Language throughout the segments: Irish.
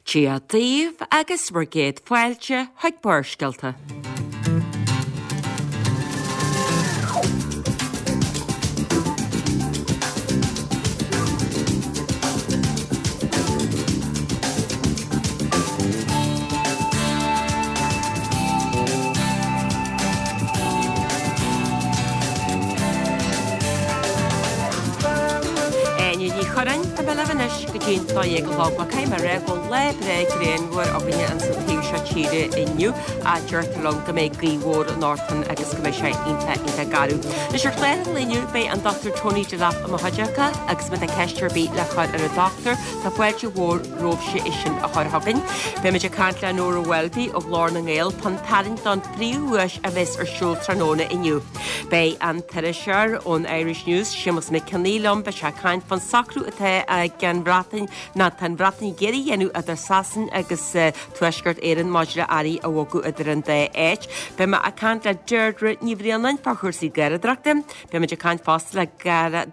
Dia daoibh agus bhur gcéad fáilte chuig Barrscéalta. Áine Ní Churráin, tá mé libh anois go dtí'n 12 a chlog. Bhuel, caithfidh mé a rá go bhfuil lá breá grianmhar againne ins an taobh seo tíre inniu ach deirtear liom go mbeidh gaoth mhór anocht ann agus go mbeidh sé iontach, iontach garbh. Anois ar chlár an lae inniu beidh an Dr Tony Delap i mo chuideachta agus má tá ceist ar bith le cur ar an dochtúir, tá fáilte mhór romhaibhse é sin a chur chugainn. Beimid ag caint le Nóra Welby ó Ghlór na nGael fán tarraingt don phríomhdhuais a bheas ar siúl tráthnóna inniu. Beidh an t-iriseoir ón Irish News, Séamus Mac Cionnaith liom, beidh sé ag caint fán socrú atá ag an Bhreatain, nó atá an Bhreatain ag iarraidh a dhéanamh idir Sasain agus Tuaisceart Éireann maidir le earraí a bhogadh idir an dá áit. Beidh mé ag caint le Deirdre Ní Bhraonáin fá chúrsaí garradóireachta. Beimid ag caint fosta le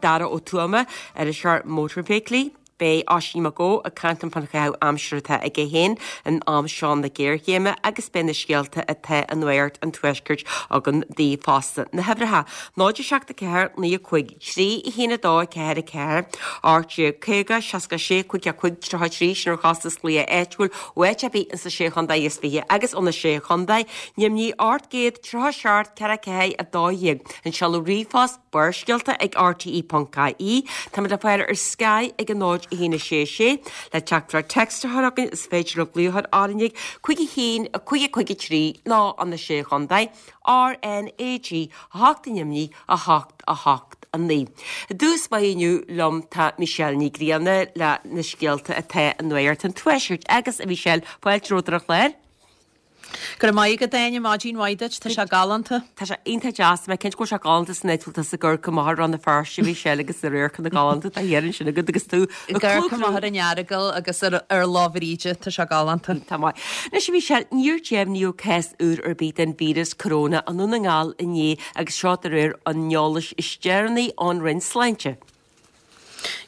Dara Ó Tuama, iriseoir mótarfheithiclí. Beidh Oisín Mac Eó ag caint liom fán chaitheamh aimsire atá aige féin in am seo na géarchéime agus beidh na scéalta atá i Nuacht an Tuaiscirt againn daoibh fosta. Na huimhreacha, 0 7 4 9 5 3 1 2 4 4 18 50 66 55 33 sin ar chostas glaoch áitiúil ó áit ar bith ins na Sé Chontae is Fiche agus ó na Sé Chontae, Ainmnigh 837 4 4 12 An seoladh ríomhphost, Barrscéalta ag rte.ie. Táimid le fáil ar Sky ag a 0 1 6 6. Le teachtaireacht text a chur chugainn is féidir libh glaoch ar RnaG 5 1 5 5 3 nó ó na Sé Chontae, RnaG 8 Ainmnigh 8 8 9. I dtús báire inniu liom tá Michelle Ní Ghrianna le na scéalta atá i Nuacht an Tuaiscirt agus a Mhichelle, fáilte romhat ar an chlár. Go raibh maith agat, Áine, maidin mhaith duit, tá sé galánta. Tá sé iontach deas, tá mé cinnte go bhfuil sé galánta san áit a bhfuil tusa ag amharc amach ar Rann na Feirste, a Mhichelle, agus na radharcanna galánta atá thiar ansin agat agus tú ag Ag amharc amach ar an Earagail agus ar ar Lá Bhríde, tá sé galánta. Tá maith. Anois, a Mhichelle, níor deimhníodh cás úr ar bith den víreas coróna i nDún na nGall inné agus seo de réir an eolais is deireanaí ón Roinn Sláinte.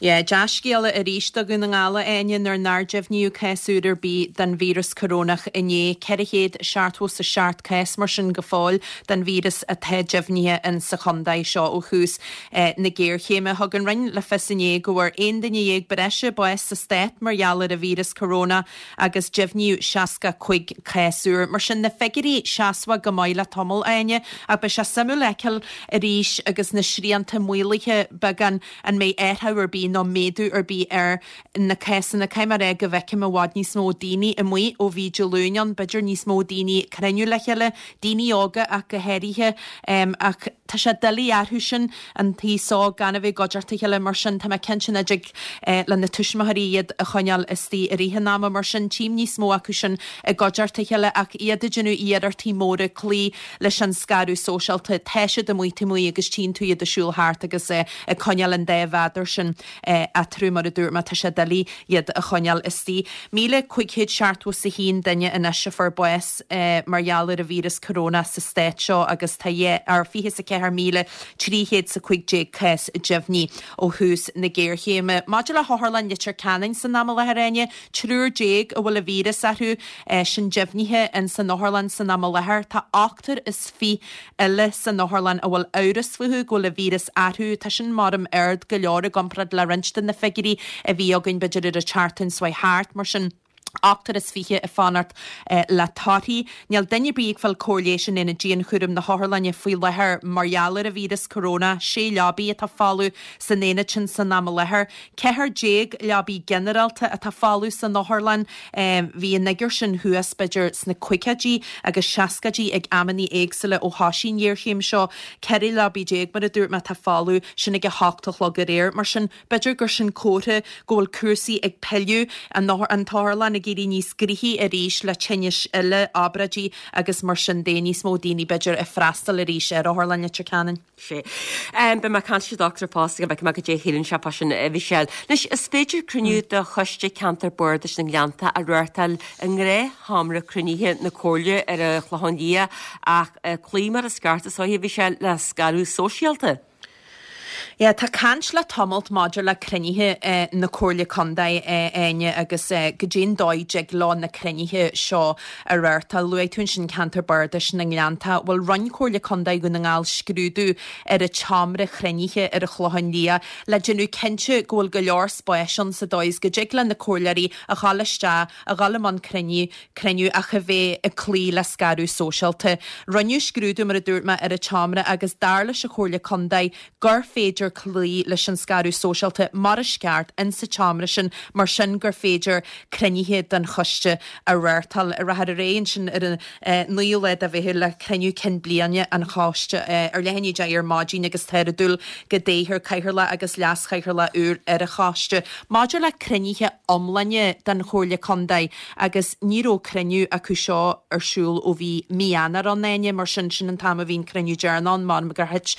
Yeah, dea-scéala arís do Dhún na nGall, a Áine, nuair nár deimhníodh cás úr ar bith den víreas corónach inné. 477 cás mar sin go fóill den víreas atá deimhnithe in sa chontae seo ó thús na géarchéime. Thug an Roinn le fios inné go bhfuair 11 duine breise bás sa stát mar gheall ar an víreas corónach agus deimhníodh 65 cás úr. Mar sin, na figiúirí seasmhach go maith le tamall, a Áine, ach beidh sé suimiúil a fheiceáil arís agus na srianta maolaithe beagán an mbeidh athrú ar bith nó méadú ar bith ar na cásanna. Caithfidh mé a rá go bhfeicim i bhfad níos mó daoine amuigh ó bhí Dé Luain ann, b'fhéidir níos mó daoine ag cruinniú le chéile, daoine óga ach go háirithe. Ach tá sé doiligh orthu sin an t-aos óg gan a bheith i gcuideachta a chéile mar sin tá mé cinnte nach dtig le na tuismitheoirí iad a choinneáil istigh i rith an ama mar sin tchím níos mó acu sin i gcuideachta a chéile ach iad ag déanamh iarrachtaí móra cloí leis an scaradh sóisialta. Tá siad amuigh taobh amuigh agus tchíonn tú iad ag siúl thart agus ag coinneáil an dá mhéadar sin eatarthu mar a dúirt mé tá sé doiligh iad a choinneáil istigh. 1,571 duine anois a fuair bás mar gheall ar an víreas corónach sa stát seo agus tá 24,315 cás deimhnithe ó thús na géarchéime. Maidir le hOtharlann Leitir Ceanainn san am i láthair, Áine, triúr déag a bhfuil an víreas orthu sin deimhnithe in san otharlann san am i láthair. Tá ochtar is fiche eile san otharlann a bhfuil amhras fúthu go bhfuil an víreas orthu. Tá sin maram ard go leor i gcomparáid le roinnt de na figiúirí a bhí againn b'fhéidir ar an tseachtain seo thart. Mar sin, ochtar is fiche ag fanacht le torthaí. Níl duine ar bith ag fáil cóir leighis in aonad dianchúraim na hotharlainne faoi láthair mar gheall ar an víreas corónach. Sé leabaí atá folamh san aonad sin san am i láthair. 14 leabaí ginearálta atá folamh san otharlann. Bhí an fhigiúr sin thuas b'fhéidir sna caogaidí agus seascaidí ag amannaí éagsúla ó thoisigh an ghéarchéim seo. 14 leabaí mar a dúirt mé atá folamh, sin ag a hocht a chlog aréir. Mar sin, b'fhéidir gur sin comhartha go bhfuil cúrsaí ag pilleadh, an t-otharlann ag éirí níos gnoithí arís le tinnis eile, obráidí agus mar sin de, níos mó daoine b'fhéidir ag freastal arís ar Otharlann Leitir Ceanainn. Sea. Beidh mé ag caint leis an dochtúir fosta go bhfeicfidh mé goidé a shíleann sé fá sin, a Mhichelle. Anois, is féidir cruinniú de Choiste Ceantair Bardais na nGleannta a reáchtáil i ngnáthsheomra cruinnithe na Comhairle ar an Chlochán Liath ach cloí mar is ceart is dóiche, a Mhichelle, le scaradh sóisialta. Yeah, tá caint le tamalt maidir le cruinnithe na Comhairle Contae, a Áine, agus goidé an dóigh a dtig leo na cruinnithe seo a reáchtáil. Luaigh tú ansin ceantar bardais na nGleannta. Bhuel, rinne Comhairle Contae Dhún na nGall scrúdú ar an tseomra chruinnithe ar an Chlochán Liath le déanamh cinnte go bhfuil go leor spáis ann sa dóigh is go dtig le na comhairleoirí a dhul isteach, a dhul i mbun cruinniú, cruinniú ach a bheith ag cloí le scaradh sóisialta. Rinneadh scrúdú, mar a dúirt mé, ar an tseomra agus dar leis an Chomhairle Contae gur féidir cloí leis an scaradh sóisialta mar is ceart in sa tseomra sin, mar sin gur féidir cruinnithe den choiste a reáchtáil. Rachfar ar aghaidh ansin ar an 9ú lá de Mheitheamh le cruinniú cinn bliana an choiste ar leath i ndiaidh a 10 ar maidin agus táthar ag dúil go dtoghfar cathaoirleach agus leas-chathaoirleach úr ar an choiste. Maidir le cruinnithe iomlána den Chomhairle Contae, agus ní raibh cruinniú acu seo ar siúl ó bhí mí Eanáir ann, Áine, mar sin, sin an t-am a bhí an cruinniú deireanach ann, m'anam gur thit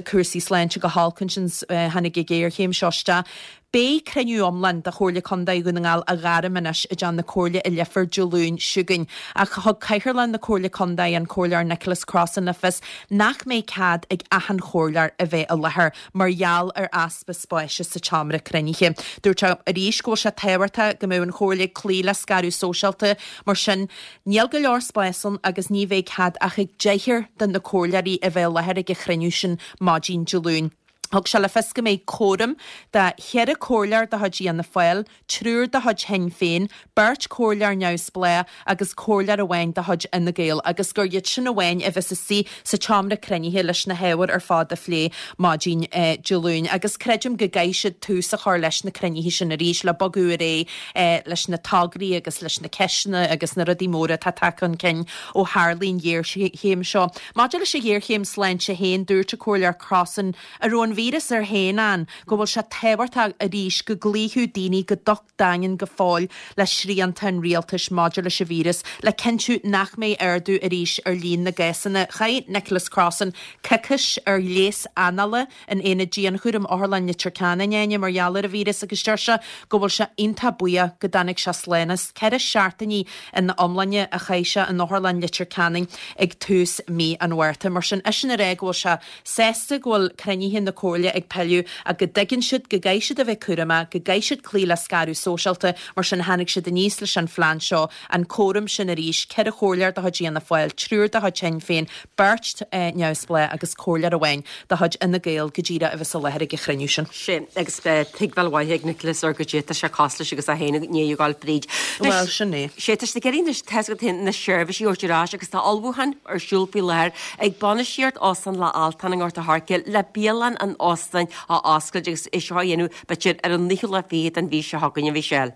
cúrsaí sláinte go holc ansin tháinig an ghéarchéim seo isteach. Beidh cruinniú iomlán de Chomhairle Contae Dhún na nGall á ghairm anois i dTeach na Comhairle i Leifear Dé Luain seo chugainn ach thug Cathaoirleach na Comhairle Contae, an Comhairleoir Nicholas Crossan le fios nach mbeidh cead ag achan chomhairleoir a bheith i láthair mar gheall ar easpa spáis sa tseomra cruinnithe. Dúirt sé arís go bhfuil sé tábhachtach go mbeadh an Chomhairle ag cloí le scaradh sóisialta, mar sin níl go leor spáis ann agus ní bheidh cead ach ag deichniúr de na comhairleoirí a bheith i láthair ag an chruinniú sin maidin Dé Luain. Thug sé le fios go mbeidh córam de cheithre chomhairleoir de chuid Fhianna Fáil, triúr de chuid Shinn Féin, beirt chomhairleoir neamhspleách agus comhairleoir amháin de chuid Fhine Gael agus gur iad sin amháin a bheas istigh sa tseomra cruinnithe leis na hábhair ar fad a phlé maidin Dé Luain. Agus creidim go gcaithfidh siad tús a chur leis na cruinnithe sin arís le bogadh ar aghaidh leis na tograí agus leis na ceisteanna agus na rudaí móra atá tagtha chun cinn ó tharlaigh an ghéarchéim seo. Maidir leis an ghéarchéim sláinte féin, dúirt an Comhairleoir Crossan, a raibh an víreas air féin ann, go bhfuil sé tábhachtach arís go gcloífeadh daoine go docht daingean go fóill le srianta an rialtais maidir leis an víreas le cinntiú nach mbeidh ardú arís ar líon na gcásanna. Chaith Nicholas Crossan coicís ar ghléas anála in aonad dianchúraim Otharlann Leitir Ceanainn, Áine, mar gheall ar an víreas agus deir sé go bhfuil sé iontach buíoch go dtáinig sé slán as. 4 seachtainí ina iomláine a chaith sé in Otharlann Leitir Ceanainn ag tús mí an Mhárta. Mar sin, eisean ag rá go bhfuil sé sásta go bhfuil cruinnithe na Comhairle ag pilleadh ach go dtuigeann siad go gcaithfidh siad a bheith cúramach, go gcaithfidh siad cloí le scaradh sóisialta, mar sin tháinig siad aníos leis an phlean seo, an córam sin arís, 4 chomhairleoir de chuid Fhianna Fáil, triúr de chuid Shinn Féin, beirt neamhspleách agus comhairleoir amháin de chuid Fhine Gael go díreach a bheas i láthair ag an chruinniú sin. Sin, agus beidh tuigbheáil mhaith ag Nicholas ar goidé tá sé cosúil leis agus é féin i ndiaidh a ghabháil fríd. Bhuel, sin é. Sé, tá siad ag iarraidh anois, tá a fhios agat féin, na seirbhísí a thabhairt ar ais agus tá ullmhúchán ar siúl faoi láthair ag bainistíocht Óstán Loch Altáin i nGort a' Choirce le bialann an óstáin a oscailt agus é seo a dhéanamh b'fhéidir ar an naoú lá fichead den mhí seo chugainn, a Mhichelle.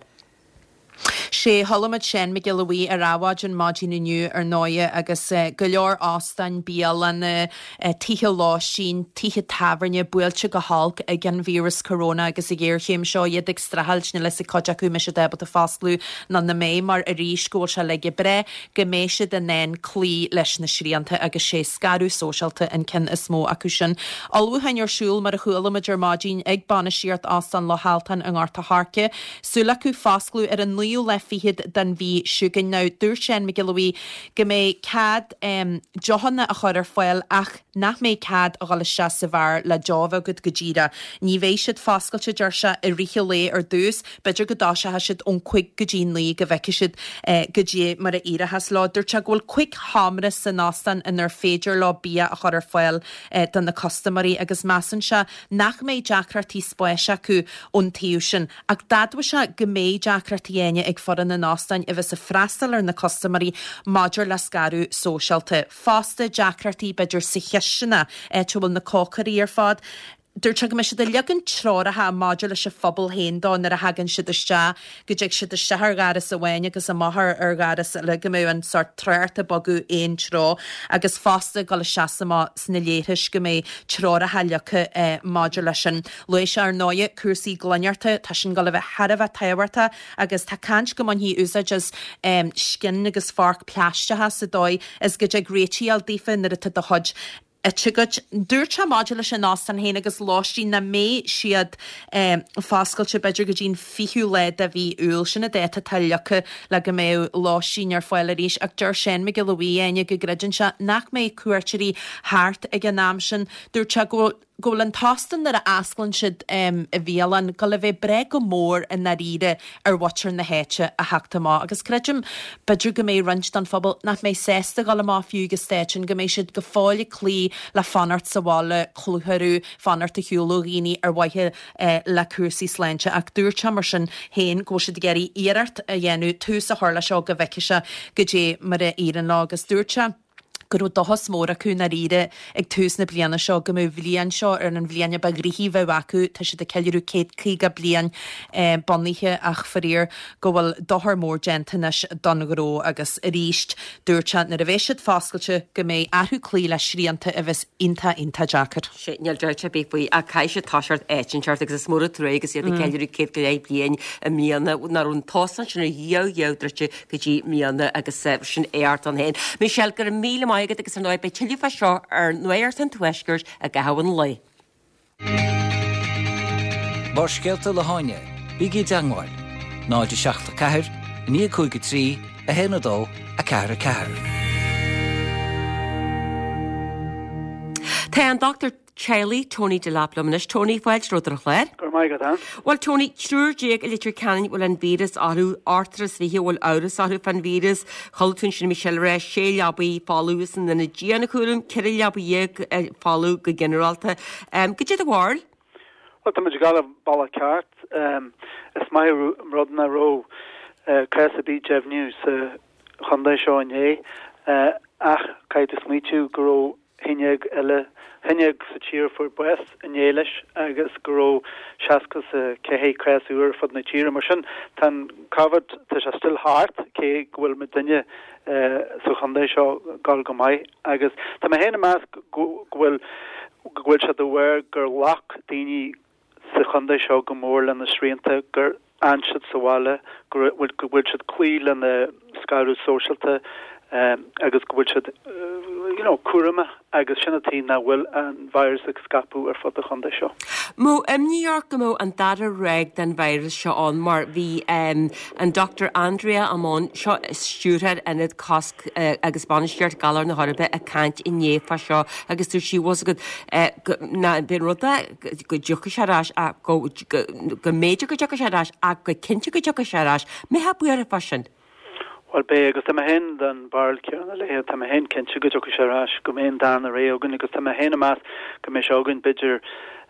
Sé, chuala muid Seán Mac Giolla Bhuí ar Adhmhaidin maidin inniu ar ndóighe agus go leor óstáin, bialanna, tithe lóistín, tithe tábhairne buailte go holc ag an víreas corona agus an ghéarchéim seo, iad ag streachailt, níl a fhios ag cuid acu an mbeidh siad ábalta fosclú nó nach mbeidh mar arís go bhfuil sé le breith go mbeidh siad in ann cloí leis na srianta agus sé scaradh sóisialta an ceann is mó acu sin. Ullmhúcháin ar siúl mar a chuala muid ar maidin ag bainistíocht Óstán Loch Altáin i nGort a' Choirce. Súil acu fosclú ar an naoú lá fichead den mhí seo chugainn. Now dúirt Seán Mac Giolla Bhuí go mbeidh cead deochanna a chur ar fáil ach nach mbeidh cead a dhul isteach sa bheár le deoch a bheith agat go díreach. Ní bheidh siad foscailte, deir sé, i rith an lae ar dtús. B'fhéidir go dtoiseoidh siad ón cúig go dtí naoi go bhfeicfidh siad goidé mar a éireochas leo. Dúirt sé go bhfuil cúig sheomra san óstán inar féidir leo bia a chur ar fáil do na custaiméirí agus measann sé nach mbeidh deacrachtaí spáis acu ón taobh sin. Ach d'admhaigh sé go mbeidh deacrachtaí Áine ag foireann an óstáin a bheas ag freastal ar na custaiméirí maidir le scaradh sóisialta. Fosta, deacrachtaí b'fhéidir sa chisteanach, áit a bhfuil na cócairí ar fad. Dúirt sé go mbeidh siad ag leagan treoracha maidir leis an phobal féin dó nuair a thagann siad isteach, go dtig siad isteach ar dhoras amháin agus amach ar dhoras eile, go mbeadh an sórt trácht ag bogadh aon treo agus fosta ag dul isteach is amach sna leithris go mbeidh treoracha leagtha maidir leis sin. Luaigh sé ar ndóighe cúrsaí glaineachta, tá sin ag dul a bheith thar a bheith tábhachtach agus tá caint go mbainfí úsáid as scian agus forc plaisteacha sa dóigh is go dtig réitigh a fháil daofa nuair atá do chuid ite agat. Dúirt sé maidir leis an óstán féin agus lóistín nach mbeidh siad foscailte b'fhéidir go dtí an 20ú lá de mhí Iúil. Sin an dáta atá leagtha le go mbeadh lóistín ar fáil arís ach deir Seán Mac Giolla Bhuí, Áine, go gcreideann sé nach mbeidh cuairteoirí thart ag an am sin. Dúirt sé go bhfuil. go bhfuil an t-óstán nuair a osclaíonn siad i bhialann, ag goil a bheith breá go mór i ndáiríre ar mhuintir na háite a theacht amach agus creidim b'fhéidir go mbeidh roinnt den phobal nach mbeidh sásta dhul amach fiú ag an staid sin, go mbeidh siad go fóill ag cloí le fanacht sa bhaile, clúch orthu, fanacht ar shiúl ó dhaoine ar mhaithe le cúrsaí sláinte ach dúirt sé mar sin féin go bhfuil siad ag iarraidh iarracht a dhéanamh tús a chur leis seo go bhfeicfidh sé goidé mar a éiríonn leo agus dúirt sé go raibh dóchas mór acu i ndáiríre ag tús na bliana seo go mbeadh an bhliain seo ar an bhliain a ba ghnoithí a bheadh acu, tá siad ag ceiliúradh 150 bliain bunaithe ach faraor go bhfuil dochar mór déanta anois don ghnó agus arís dúirt sé nuair a bheidh siad foscailte go mbeidh orthu cloí le srianta a bheas iontach iontach deacair. Sea, níl dabht ar bith faoi ach caithfidh siad toiseacht áit inteacht agus is mór an trua agus iad ag ceiliúradh 100 go leith bliain i mbliana nach raibh an t-óstán sin ar dhia a druidte go dtí i mbliana agus sin éacht ann féin. Michelle, go raibh míle maith agat agus ar ndóigh beidh tuilleadh fá seo ar Nuacht an Tuaiscirt i gcaitheamh an lae. Barrscéalta le hÁine, bígí i dteangmháil, 0 7 4 9 5 3 1 2 4 4. Tá an Dr. Teaghlaigh, Tony Delap liom anois. Tony, fáilte romhat ar an chlár. Go raibh maith agat, Ann. Bhuel, Tony, triúr déag i Leitir Ceanainn a bhfuil an víreas orthu, ochtar is 20 a bhfuil amhras orthu fán víreas. Chuala tú ansin Michelle ag rá, sé leabaidh folamh san ionad dianchúraim, 14 leabaidh folamh go ginearálta. Goidé do bharúil? Bhuel, tá muid ag dul an bealach ceart. Is maith an rud nach raibh cás ar bith deimhniú sa chontae seo inné, ach caithfidh tú smaoitiú go raibh 11 eile, 11 sa tír a fuair bás inné leis agus go raibh 64 cás úr ar fud na tíre. Mar sin, tá an Covid, tá sé still thart, cé go bhfuil muidinne sa chontae seo ag dul go maith. Agus tá mé féin ag meas go bhfuil, go bhfuil sé de bharr gur ghlac daoine sa chontae seo go mór le na srianta, gur fhan siad sa bhaile, go bhfuil siad cloí lena scaradh sóisialta agus go bhfuil siad you know cúramach agus sin an tuige nach bhfuil an virus ag scaipeadh ar fud an chontae seo. Mbeadh imní ort go mbeadh an dara ráig den virus seo ann mar bhí an Dr Andrea Ammon, seo stiúrthóir Ionad Cosc agus Bainistíocht Galar na hEorpa ag caint inné fá seo agus dúirt sí bhfuil fhios agat go ná bíonn rud é go dtiocfaidh sé ar ais ach go go mb'fhéidir go dtiocfaidh sé ar ais ach go cinnte go dtiocfaidh sé ar ais. Mbeifeá buartha fá sin? Bhuel beidh agus tá mé féin den bharúil chéanna léi, tá mé féin cinnte go dtiocfaidh sé ar ais, go mbeidh an darna ré againn agus tá mé féin ag meas go mbeidh sé againn b'fhéidir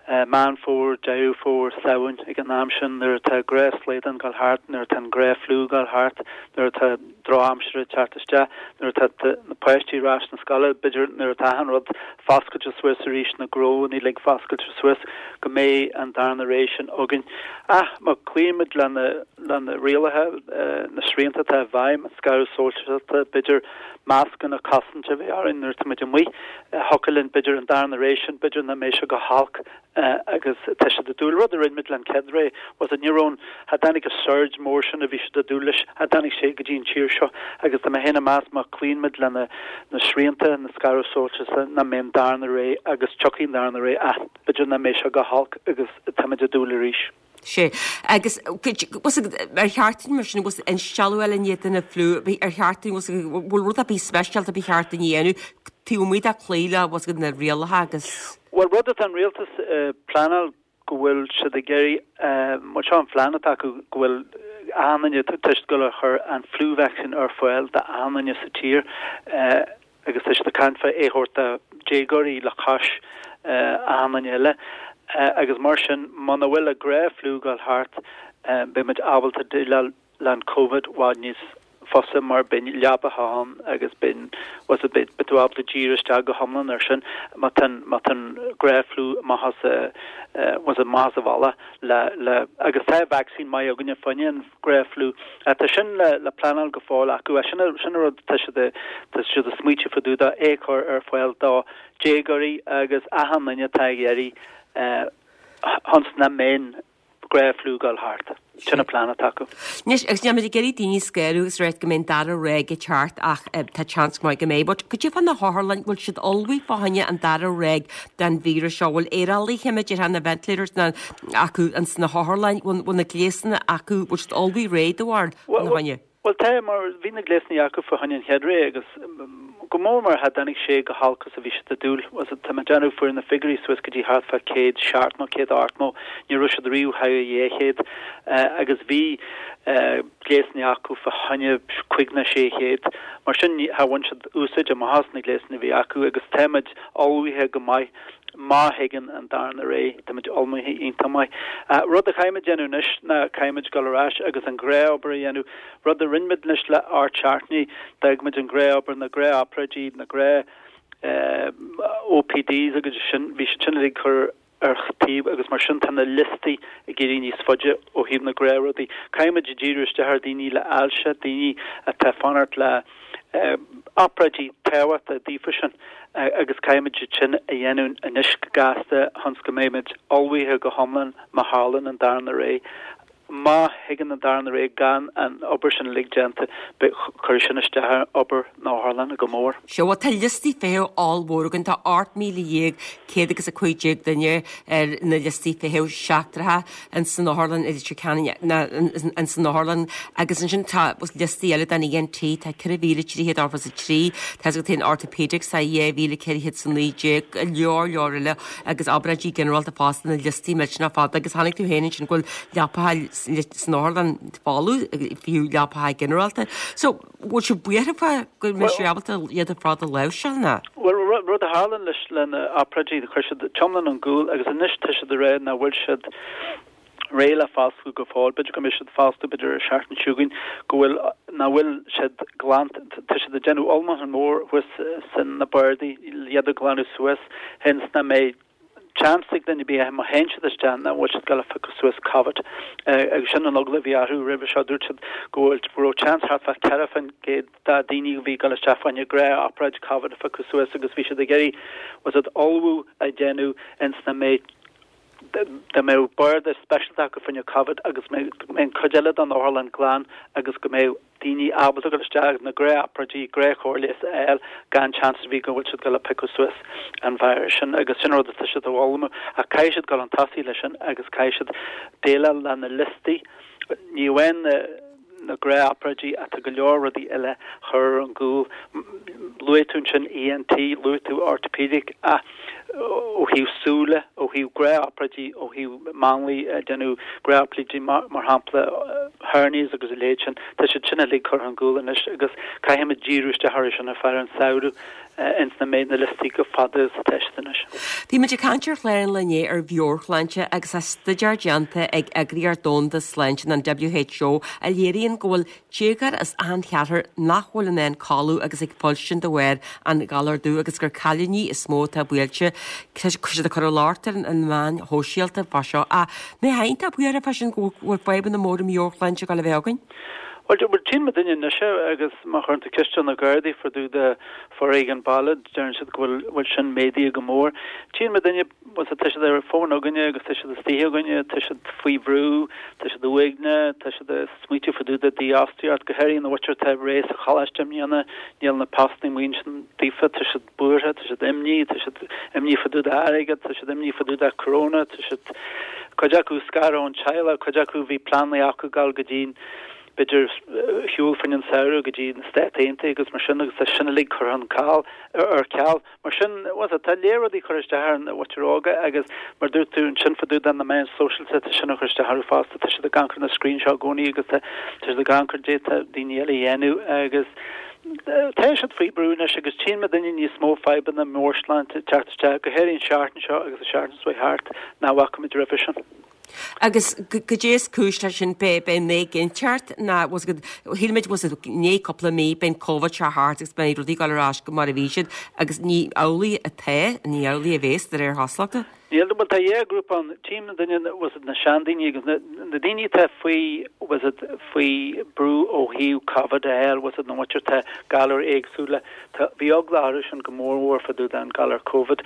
Meán Fómhair, Deireadh Fómhair, Samhain, ag an am sin nuair atá gnáthshlaghdán ag dul thart, nuair atá an gnáth-fhliú ag dul thart, nuair atá drochaimsir ag teacht isteach, nuair atá na páistí ar ais na scoile, b'fhéidir nuair atá achan rud foscailte suas arís, na gnónna uilig foscailte suas, go mbeidh an darna ré sin againn. Ach má chloímid le na, le na rialacha, na srianta atá i bhfeidhm, an scaradh sóisialta, b'fhéidir mascanna cosainte a bheith orainn nuair atá muid amuigh, thiocfadh linn b'fhéidir an darna ré sin, b'fhéidir nach mbeidh sé go holc agus tá siad ag dúil, rud a rinne muid le an chéad ré, was it, ní raibh an, cha dtáinig an surge mór sin a bhí siad ag dúil leis, cha dtáinig sé go dtí an tír seo agus tá mé féin ag meas má chloíonn muid le na, na srianta, na scaradh sóisialta, nach mbeidh an darna ré agus tiocfaidh an darna ré ach b'fhéidir nach mbeidh sé go holc agus táimid ag dúil arís. Sea. Agus was ar cheart dúinn mar sin was instealladh a fháil i ndiaidh den fhliú, ar cheart dúinn was bhfuil rud ar bith speisialta ba cheart dúinn a dhéanamh taobh amuigh de cloí le was na rialacha agus. Bhuel, rud atá an rialtas ag pleanáil go bhfuil siad ag iarraidh, bhuel seo an phlean atá acu, go bhfuil achan duine, tá siad ag dul a chur an flu vaccine ar fáil d'achan duine sa tír agus tá siad ag caint fá é a thabhairt do déagóirí le cois achan duine eile agus mar sin muna bhfuil an gnáth-fhliú ag dul thart beidh muid ábalta déileáil le an Covid i bhfad níos fusa mar beidh leabacha ann agus beidh was it beidh tú ábalta díriú isteach go hiomlán ar sin má tá an má tá an gnáth-fhliú amach as was it amach as an bhealach le le agus tá vaccine maith againne fá choinne an gnáth-fhliú ach tá sin le le pleanáil go fóill acu sin sin an rud tá siad tá siad ag smaoitiú fá dtaobh de é a chur ar fáil do déagóirí agus achan duine atá ag iarraidh ionas nach mbeidh gnáth-fhliú ag dul thart. Sin an plean atá acu. Anois, agus níl muid ag iarraidh daoine a scanrú agus ráit go mbeidh an dara ráig ag teacht ach tá seans maith go mbeidh. But goidé fá na hotharlann, bhfuil siad ullmhaithe fá choinne an dara ráig den víreas seo? Bhfuil aerálaithe, mar a déarfá, na ventilators na, acu ins na hotharlann? Bhfuil, bhfuil na gléasanna acu, bhfuil siad ullmhaithe réidh do bharúil fá choinne? Bhuel, tá, mar bhí na gléasanna acu fá choinne an chéad ré agus. Go mór mór cha dtáinig sé chomh holc is a bhí siad ag dúil. Tá mé ag déanamh fuair na figiúirí suas go dtí thart fá 170 180, ní raibh siad riamh thar 200 agus bhí gléasanna acu fá choinne 5 nó 600. Mar sin cha bhain siad úsáid amach as na gléasanna a bhí acu agus táimid ullmhaithe go maith má thigeann an darna ré, táimid ullmhaithe iontach maith. Rud a chaithfimid déanamh anois ná caithfimid dul ar ais agus an ghnáthobair a dhéanamh. Rud a rinne muid anois le hocht seachtainí, d'fhág muid an ghnáthobair, na gnáthobráidí, na gnáth OPDs agus sin, bhí siad sin uilig curtha ar taobh agus mar sin tá na liostaí ag éirí níos faide ó thaobh na gnáthrudaí. Caithfimid díriú isteach ar daoine le ailse, daoine atá ag fanacht le obráidí tábhachtacha daofa sin agus caithfimid iad sin a dhéanamh anois go gasta chun go mbeimid ullmhaithe go hiomlán má tharlann an darna ré. Má thigeann an darna ré gan an obair sin uilig déanta, cuirfidh sin isteach ar obair na hotharlainne go mór. Sea, bhuel tá liostaí feithimh ollmhór againn, tá 18,000 céad agus 15 duine ar na liostaí feithimh seachtracha ins an otharlann i Leitir Ceanainn, ins an otharlann agus ansin tá liostaí eile don ENT, tá 4,383, tá a fhios agat féin orthopaedics, tá 2,419, go leor leor eile. agus obráidí ginearálta fosta na liostaí millteanach fada agus chonaic tú féin ansin go bhfuil leapacha san otharlann folamh, fiú leapacha ginearálta. So, bhfuil sibh buartha fá go mbeidh sibh ábalta iad ar fad a láimhseáil nó? Bhuel, rud a tharlann leis le na obráidí, chuir siad iomlán ar gcúl agus anois tá siad ag rá nach bhfuil siad réidh le foscladh go fóill. B'fhéidir go mbeidh siad ag foscladh b'fhéidir an seachtain seo chugainn go bhfuil, nach bhfuil siad glan, tá siad ag déanamh ullmhúchán mór thuas san na bardaí iad a ghlanadh suas ionas nach mbeidh seans ag duine ar bith má théann siad isteach nach bhfuil siad ag gabháil a phiocadh suas Covid. Agus sin an eagla a bhí orthu roimhe seo, dúirt siad go bhfuil, go raibh seans thart fá 4% de daoine a bhí ag dul isteach fá choinne gnáth-obráid Covid a phiocadh suas agus bhí siad ag iarraidh, was it ullmhú a dhéanamh ionas nach mbeidh dá mbeadh barda speisialta acu fá choinne Covid agus go mbeadh an cuid eile den otharlann glan agus go mbeadh daoine ábalta dul isteach na gnáthobráidí, gnáthchóir leighis a fháil gan seans ar bith go bhfuil siad ag gabháil a piocadh suas an virus sin agus sin rud atá siad a ullmhú ach caithfidh siad dul chun tosaigh leis sin agus caithfidh siad déileáil le na liostaí ní amháin na na gnáthobráidí ach tá go leor rudaí eile curtha ar an gcúl. Luaigh tú ansin ENT, luaigh tú orthopaedic ach ó thaobh súile, ó thaobh gnáthobráidí, ó thaobh máinlia ag déanamh gnáthobráidí mar shampla hernias agus a leithéid sin, tá siad sin uilig curtha ar an gcúl anois agus caithfimid díriú isteach orthu sin ar feadh an samhradh. ionas nach mbeidh na liostaí chomh fada is atá siad anois. Bhí muid ag caint ar chlár an lae inné ar mheabhairshláinte agus tá staidéar déanta ag Eagraíocht Domhanda Sláinte, an WHO, a léiríonn go bhfuil déagóir as achan cheathrar nach bhfuil in ann codladh agus ag fuilstin de bharr an ghalair dubh agus gur cailíní is mó atá buailte. Tá siad ag cur an locht ar na meáin shóisialta fá seo. Ach an mbeifeá iontach buartha fá sin go bhfuil fadhbanna móra meabhairshláinte ag dul a bheith againn? Bhuel, tchíonn muidinne anois é agus má chuireann tú ceist ar na Gardaí fá dtaobh de foréigean baile, deireann siad go bhfuil bhfuil sin méadaithe go mór. Tchíonn muidinne, bhuel, tá siad ar an bhfón againne agus tá siad istigh againne, tá siad faoi bhrú, tá siad uaigneach, tá siad ag smaoitiú fá dtaobh de dífhostaíocht, go háirithe na mhuintir atá réidh sa choláiste i mbliana, níl na postanna amuigh ansin daofa, tá siad buartha, tá siad imní, tá siad imní fá dtaobh de airgead, tá siad imní fá dtaobh de corona, tá siad, cuid acu scartha ón teaghlach, cuid acu bhí pleananna acu dul go dtí, b'fhéidir, shiúl fá choinne an samhradh go dtí na Stáit Aontaithe agus mar sin agus tá sin uilig curtha an ceal, ar ceal. Mar sin, bhuel, tá léar rudaí curtha isteach ar na mhuintir óga agus mar dúirt tú ansin fá dtaobh de na meáin sóisialta, tá sin ag cur isteach orthu fosta, tá siad ag amharc ar na screen seo i gcónaí agus tá siad ag amharc ar caidé atá daoine eile a dhéanamh agus Tá siad faoi brú anois agus tchíonn muidinne níos mó fadhbanna meabhairshláinte ag teacht isteach, go háirithe an seachtain seo agus an seachtain seo thart, ná bhfaca muid roimhe sin. Agus goidé is cúis leis sin, b'é an éiginnteacht ná, bhfuil fhios agat, shíl muid, bhfuil fhios agat, i ndiaidh cúpla mí, beidh an Covid seo thart agus beidh rudaí ag dul ar ais go mar a bhí siad agus ní amhlaidh atá, ní amhlaidh a bhéas de réir chosúlachta. Níl, bhuel tá dhá ghrúpa ann, tchíonn muidinne, bhfuil fhios agat, na seandaoine agus na, na daoine atá faoi, bhfuil fhios agat, faoi brú ó thaobh Covid a fháil, bhfuil fhios agat, na muintir atá galair éagsúla, tá, bhí eagla orthu sin go mór mhór fá dtaobh den galar Covid.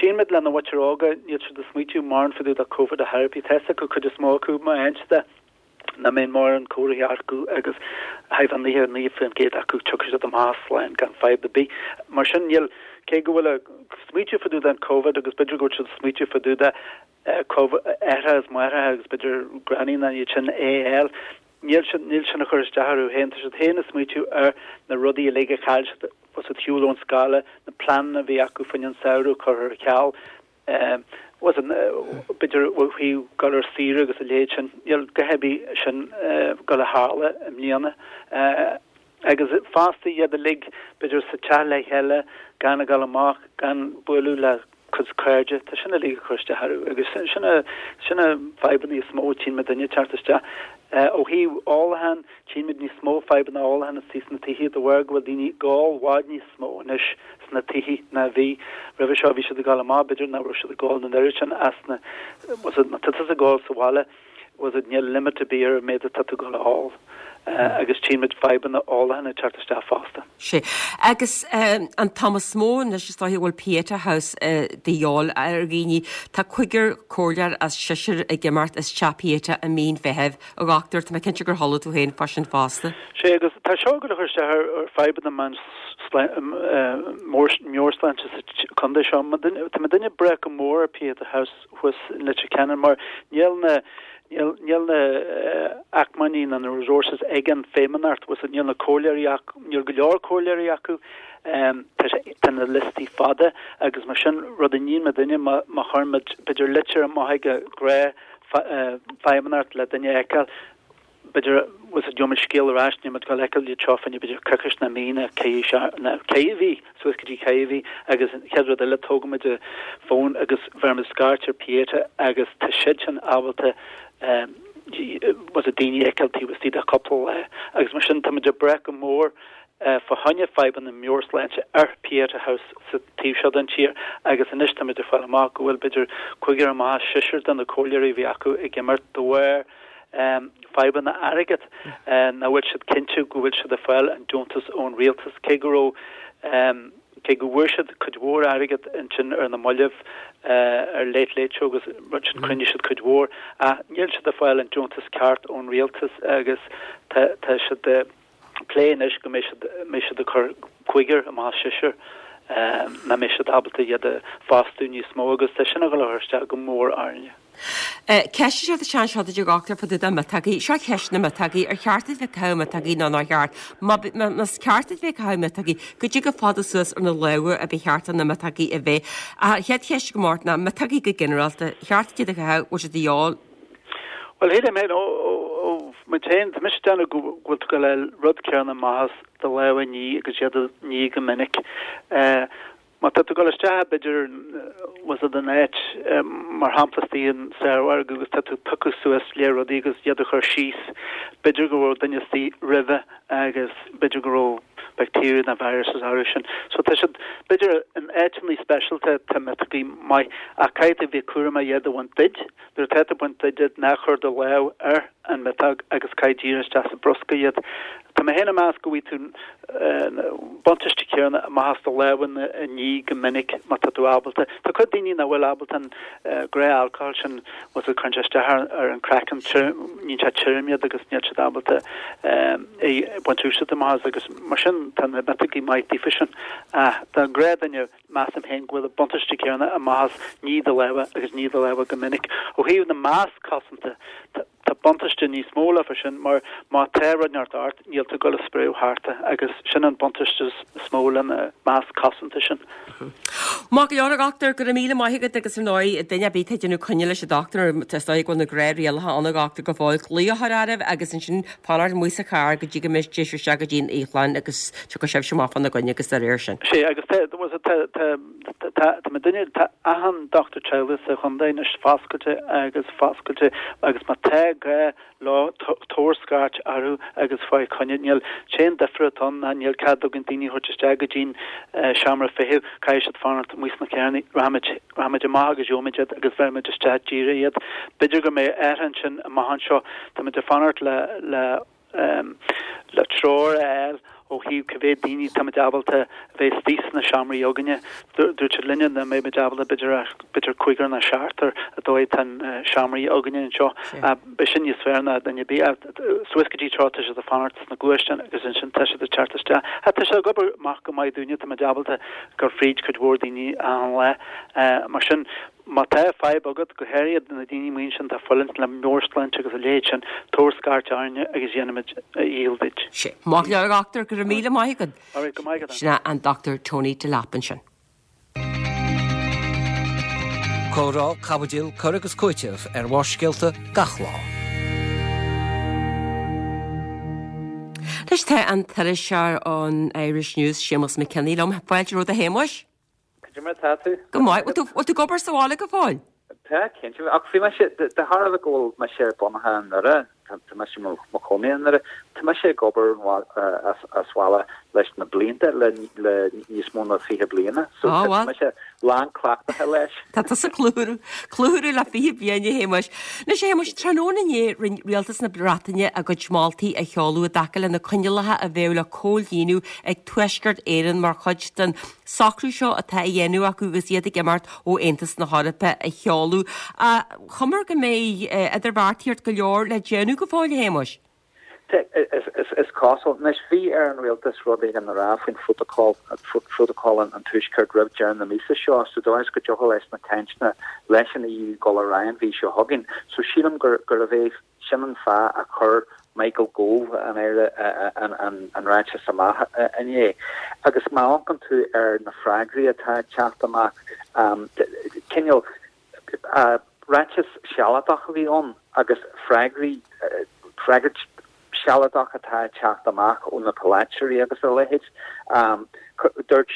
Tchíonn muid le na mhuintir óga, níl siad ag smaoitiú mórán fá dtaobh de Covid ar chor ar bith, tá fhios acu, cuid is mó acu, má fhaigheann siad é, nach mbeidh mórán comharthaí acu agus thart fá 99% acu tiocfaidh siad amach slán gan fadhb ar bith. Mar sin níl, cé go bhfuil ag smaoitiú fá dtaobh den Covid agus b'fhéidir go bhfuil siad ag smaoitiú fá dtaobh de aithreacha is máithreacha agus b'fhéidir granny ná iad sin a fháil. Níl sin, níl sin ag cur isteach orthu féin, tá siad féin ag smaoitiú ar na rudaí uilig a chaill siad, bhfuil 's agat shiúl ón scoil, na pleananna a bhí acu fá choinne an samhradh curtha ar ceal, bhfuil 's agat, b'fhéidir ó thaobh dul ar saoire agus a leithéid sin, níl a dhath ar bith sin ag dul a tharla i mbliana. Agus fosta iad uilig b'fhéidir sa teach le chéile, gan a dhul amach, gan bualadh le cuid cairde, tá sin uilig ag cur isteach orthu agus sin na, sin na fadhbanna is mó a tchíonn muidinne ag teacht isteach. Ó thaobh ólacháin, tchíonn muid níos mó fadhbanna ólacháin istigh sna tithe de bharr go bhfuil daoine ag ól i bhfad níos mó anois sna tithe ná bhí roimhe seo. Bhí siad ag dul amach, b'fhéidir nach raibh siad ag ól an oiread sin as na, bhfuil 's agat, má tá tusa ag ól sa bhaile, bhfuil 's agat, níl limit ar bith ar an méid atá tú ag dul a ól agus tchíonn muid fadhbanna ólacháin ag teacht isteach fosta. Sea. Agus an t-am is mó anois is dóiche a bhfuil Pieta House de dhíobháil ar dhaoine. Tá cúigear comhairleoir as seisear ag imeacht as Teach Pieta i mí an Mheithimh. A dhochtúir, tá mé cinnte gur chuala tú féin fá sin fosta. Sea, agus tá seo ag dul a chur isteach ar fadhbanna meabhairshláinte sa chontae seo. Tá muidinne ag brath go mór ar Pieta House thuas in Leitir Ceanainn mar níl na níl níl na acmhainní ná na resources ag an Feidhmeannacht, bhfuil 's agat, níl na comhairleoirí acu, níl go leor comhairleoirí acu, tá sé tá na liostaí fada agus mar sin rud a níonn muidinne má má chuireann muid b'fhéidir litir amach ag an ghnáth-Fheidhmeannacht le duine a fheiceáil, b'fhéidir, bhfuil 's agat, gheobhaidh muid scéal ar ais, níl muid ag dul a fheiceáil iad seo fá choinne b'fhéidir coicís ná mí ná ceithre ná ceithre mhí, suas go dtí ceithre mhí agus an chéad rud eile tógann muid an fón agus bheireann muid scairt ar Pieta agus tá siad sin ábalta bhfuil 's agat daoine a fheiceáil taobh istigh de chúpla lá agus mar sin tá muid ag brath go mór fá choinne fadhbanna meabhairshláinte ar Pieta House sa taobh seo den tír agus anois táimid ag fáil amach go bhfuil b'fhéidir cúigear amach as seisear de na comhairleoirí a bhí acu ag imeacht de bharr fadhbanna airgid, nach bhfuil siad cinnte go bhfuil siad ag fáil an deontas ón rialtas, cé go raibh, cé go bhfuair siad cuid mhór airgead ansin ar na mallaibh ar Late Late Show agus rud sin, chruinnigh siad cuid mhór, ach níl siad ag fáil an deontas ceart ón rialtas agus tá, tá siad ag plé anois go mbeidh siad, mbeidh siad ag cur cúigear amach as seisear, nach mbeidh siad ábalta iad a fhostú níos mó agus tá sin ag dul a chur isteach go mór orainne. Ceist seo tá anseo duit a dhochtúir fá dtaobh de miotógaí. Seo ceist na miotógaí. Ar cheart duit bheith ag caitheamh miotógaí nó nár cheart? Más ceart duit bheith ag caitheamh miotógaí, goidé chomh fada suas ar na lámha a ba cheart do na miotógaí a bheith? Ach an chéad cheist agam ort ná miotógaí go ginearálta, cheart duit iad a chaitheamh, bhfuil siad de dhíobháil? Bhuel, shílim féin, ó, ó, muid féin, tá mise ag déanamh go bhfuil tú ag dul a fháil rud céanna amach as do lámha a ní agus iad a ní go minic. Má tá tú ag dul isteach b'fhéidir bhfuil 's agat in áit, mar shampla istigh in saormhargadh agus tá tú ag piocadh suas lear rudaí agus iad a chur síos, b'fhéidir go raibh duine istigh roimhe agus b'fhéidir go raibh bacteria nó viruses orthu sin. So tá siad, b'fhéidir in áiteanna speisialta tá miotógaí maith ach caithfidh tú bheith cúramach iad a bhaint duit. Nuair atá tú ag baint duit iad ná cuir do lámh ar an miotóg agus caith díreach isteach sa bruscar iad. Tá mé féin ag meas go bhfaighidh tú an buntáiste céanna amach as do lámha a ní go minic má tá tú ábalta. Tá cuid daoine nach bhfuil ábalta an gnáth-alcohol sin bhfuil 's agat cuireann sé isteach ar an craiceann, níonn sé tirim iad agus níl siad ábalta é baint úsáid amach as agus mar sin tá na miotógaí maith daofa sin. Ach don ghnáthdhuine measaim féin go bhfuil an buntáiste céanna amach as ní do lámha agus ní do lámha go minic. Ó thaobh na masc cosanta, Tá buntáiste níos mó leofa sin mar má tá rud inteacht ort níl tú ag dul a spréadh thart agus sin an buntáiste is mó le na masc cosanta sin. Maith go leor a dhochtúir, go raibh míle maith agat agus ar ndóigh duine ar bith atá ag déanamh coinne leis an dochtúir nó is dóigh go bhfuil na gnáth-rialacha ann a dhochtúir go fóill, glaoch a chur oraibh agus ansin fanacht amuigh sa charr go dtí go mbeidh sibh isteach go dtí an iothlainn agus tiocfaidh sibhse amach fána gcoinne agus dá réir sin. Sea agus tá, tá, tá. Tá muidinne, tá achan dochtúir teaghlaigh sa chontae anois foscailte agus foscailte agus má tá gá leo, tabhair scairt orthu agus faigh coinne. Níl, sé an difear atá ann ná níl cead againn daoine a thabhairt isteach go dtí'n seomra feithimh, caithfidh siad fanacht amuigh sna carranna, rachaimid, rachaimid amach agus gheobhaimid iad agus bheirfimid isteach díreach iad. B'fhéidir go mbeidh athrú ansin amach anseo, táimid ag fanacht le, le. le treoir a fháil ó thaobh cá mhéad daoine táimid ábalta a bheith istigh sna seomraí againne. Dúirt siad linne nach mbeidh muid ábalta b'fhéidir ach b'fhéidir cúigear nó seachtar an dóigh atá na seomraí againne anseo. Beidh sin níos fearr ná duine ar bith. Suas go dtí tráth tá siad ag fanacht sna gluaisteáin agus ansin tá siad ag teacht isteach. Tá sé ag obair amach go maith dúinne, táimid ábalta dul fríd cuid mhór daoine achan lá. Mar sin. Má tá fadhb agat, go háirithe na daoine amuigh ansin atá ag fulaingt le meabhairshláinte agus a leithéid sin, tabhair scairt orainne agus dhéanfaimid a dhícheall duit. Sin. Maith go leor, a dhochtúir, go raibh míle maith agat. Alright, go maith agat. Sin é an Dr Tony Delap ansin. Comhrá, caibidil, cur agus cúiteamh ar Bharrscéalta gach lá. Anois tá an t-iriseoir ón Irish News, Séamus McKinney liom. Fáilte romhat a Shéamuis. Cad é mar atá tú? Go maith. Bhfuil tú ag obair sa bhaile go fóill? Tá, cinnte. Ach bhí mise, de thairbhe go bhfuil mise bunaithe i nDoire, tá mise i mo chónaí i nDoire, tá mise ag obair as baile leis na blianta, le níos mó ná 20 bliana. So tá mise lán cleachtaithe leis. Tá tusa clutharú le 20 bliain, a Shéamuis. Anois, a Shéamuis, tráthnóna inné rinne Rialtas na Breataine a gcuid moltaí a sheoladh i dtaca le na coinníollacha a bheadh le comhlíonadh ag Tuaisceart Éireann mar chuid den socrú seo atá á dhéanamh acu agus iad ag imeacht ó Aontas na hEorpa a sheoladh. Chuma go mbeidh idirbheartaíocht go leor le déanamh go fóill, a Shéamuis. Is cosúil. Anois, bhí ar an rialtas rud éigin a rá faoin phrótacal, prótocol an Tuaiscirt roimh deireadh na míosa seo, sa dóigh is go dtiocfadh leis na cainteanna leis an EU dul ar aghaidh an mhí seo chugainn. So sílim gurbh é Sin an fáth a chuir Michael Gove, an Aire, an ráiteas amach inné. Agus má amharcann tú ar na freagraí atá ag teacht amach, cineál ráiteas sealadach a bhí ann agus freagraí, freagairt sealadach atá ag teacht amach ó na polaiteoirí agus a leithéid. Dúirt.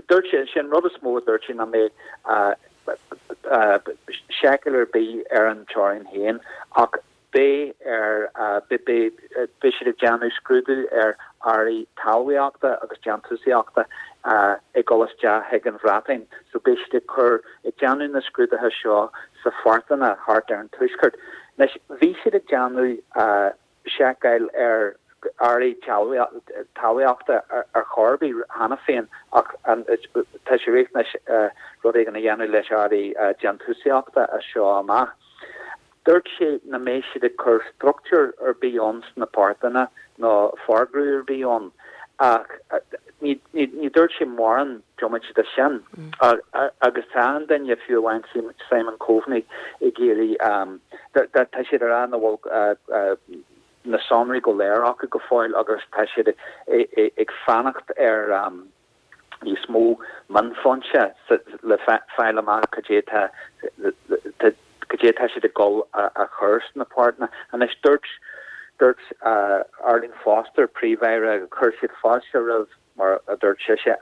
Dúirt sé, sé an rud is mó a dúirt sé nach mbeidh seiceáil ar bith ar an teorainn féin ach beidh ar, beidh siad ag déanamh scrúdú ar earraí talmhaíochta agus déantúsaíochta ag dul isteach chuig an Bhreatain. So beidh siad ag cur, ag déanamh na scrúduithe seo sa phortanna thart ar an Tuaisceart. Anois, bhí siad ag déanamh seiceáil ar earraí talmhaíochta ar chor ar bith cheana féin ach tá sé riachtanach rud éigin a dhéanamh leis earraí déantúsaíochta as seo amach. Dúirt sé nach mbeidh siad ag cur struchtúr ar bith ann sna portanna nó forghrú ar bith ann ach ní dúirt sé mórán diomaite de sin agus tá an-duine, fiú amháin Simon Coveney, ag iarraidh, tá siad ag rá nach bhfuil na sonraí go léir acu go fóill agus tá siad ag fanacht ar níos mó mionfhoinse le fáil amach cad é tá cad é tá siad ag dul a chur sna portanna. Anois dúirt dúirt Arlene Foster, Príomh-Aire, chuir siad fáilte roimh mar a dúirt sise,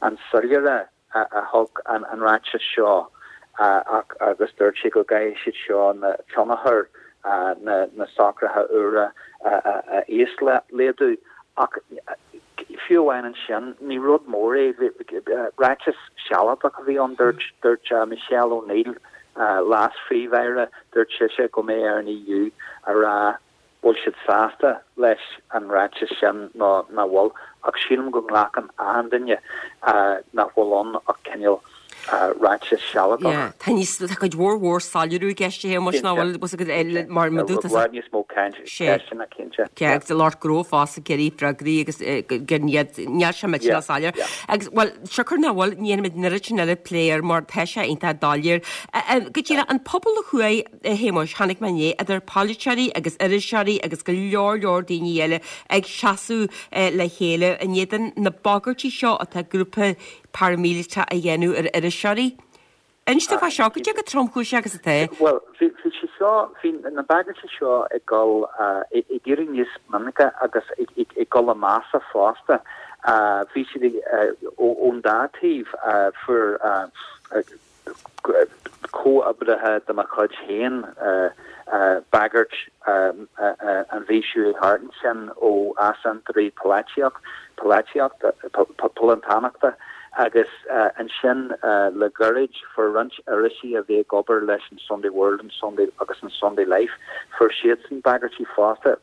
an soiléire a thug an ráiteas seo ach agus dúirt sí go gcaithfidh siad seo na tionchar na socruithe úra a íoslaghdú. Ach fiú amháin ansin, ní rud mór é. Ráiteas sealadach a bhí ann. Dúirt Michelle O'Neill, Leas-Phríomh-Aire, dúirt sise go mbeidh ar an EU a rá bhfuil siad sásta leis an ráiteas sin nó nach bhfuil, ach sílim go nglacann achan duine nach bhfuil ann ach cineál ráiteas sealadach. Yeah, tá níos, tá cuid mhór mhór soiléiriú i gceist a Shéamuis nach bhfuil, bhfuil a fhios agat, mar mar dúirt tusa. I bhfad níos mó caint, ceisteanna cinnte. Yeah, agus lucht gnó fosta ag iarraidh freagraí agus gur iad, níl sé millteanach soiléir. Agus, bhuel, siocair nach bhfuil, ní dhéanfaimid an oiread sin eile plé air mar tá sé iontach doiléir. Go díreach, an pobal a chuaigh, A Shéamuis, chonaic mé inné idir polaiteoirí agus iriseoirí agus go leor leor daoine eile ag seasamh le chéile in éadan na bagairtí seo atá grúpa paraimíleatach a dhéanamh ar iriseoirí. Inis dom fá seo, cad é chomh tromchúiseach agus atá. Bhuel, bhí sé seo, bhí na bagairtí seo ag dul, ag éirí níos minice agus ag dul i measa fosta. Bhí siad ón dá taobh, fuair comhoibrithe de mo chuid féin bagairt an mhí seo thart ansin ó easaontóirí polaitíochta, poblachtánacha agus ansin le gairid fuair roinnt irisí a bhí ag obair leis an Sunday World and Sunday agus an Sunday Life, fuair siadsan bagairtí fosta.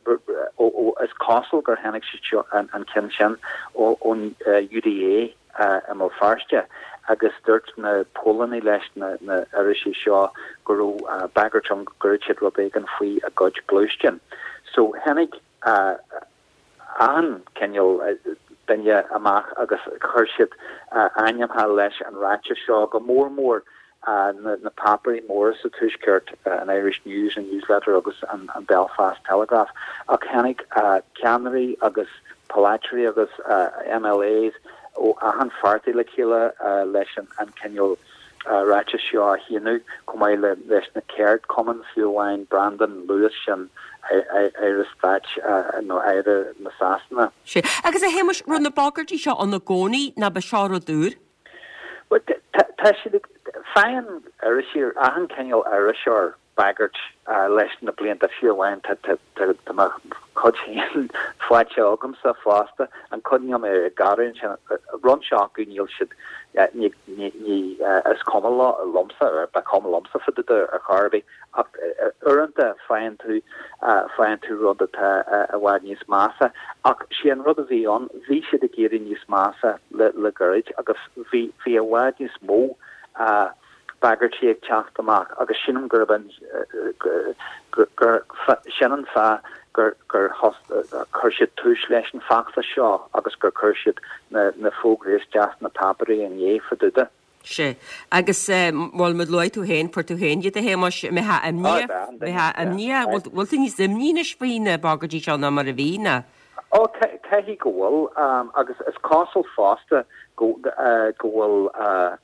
Is cosúil gur tháinig siad seo, an ceann sin ón UDA. i mBéal Feirste agus dúirt na póilíní leis na irisí seo go raibh bagairt ann go gcuirfeadh siad rud éigin faoi a gcuid gluaisteán. So tháinig achan cineál duine amach agus chuir siad a ainmneacha leis an ráiteas seo, go mór mór. Na páipéirí móra sa Tuaisceart, an Irish News, an News Letter agus an Belfast Telegraph, ach tháinig ceannairí agus polaiteoirí agus MLAs ó achan pháirtí le chéile leis an cineál ráiteas seo a shíniú, chomh maith leis na ceardchumainn, fiú amháin Brandon Lewis, sin Aire Stáit nó Aire na Sasana. Sea. Agus a Shéamais, raibh na bagairtí seo ann i gcónaí nó ba seo rud úr? Bhuel, tá siad ag, faigheann iriseoir, achan cineál iriseoir bagairt leis na blianta, fiú amháin tá mo chuid féin faighte agamsa fosta, an chuid níl mé ag gearán ansin, roinnt acu níl siad, ní, ní, is cuma liomsa, ba chuma liomsa fá dtaobh de ar chor ar bith. Ach uaireanta faigheann tú, faigheann tú rud atá i bhfad níos measa. Ach sé an rud a bhí ann, bhí siad ag éirí níos measa le, le gairid agus bhí, bhí i bhfad níos mó bagairtí ag teacht amach agus sílim gurb an, gur, gur, sin an fáth gur, gur chuir siad tús leis an bhfeachtas seo agus gur chuir siad na, na fógraí isteach sna páipéirí inné fá dtaobh de. Sea. Agus, bhuel, mar luaigh tú féin, fuair tú féin iad a Shéamais, an mbeifeá imníoch, bheifeá imníoch, bhfuil tú níos imní anois faoi na bagairtí seo ná mar a bhí, ná? Ó, caithfidh go bhfuil, agus is cosúil fosta go, go bhfuil,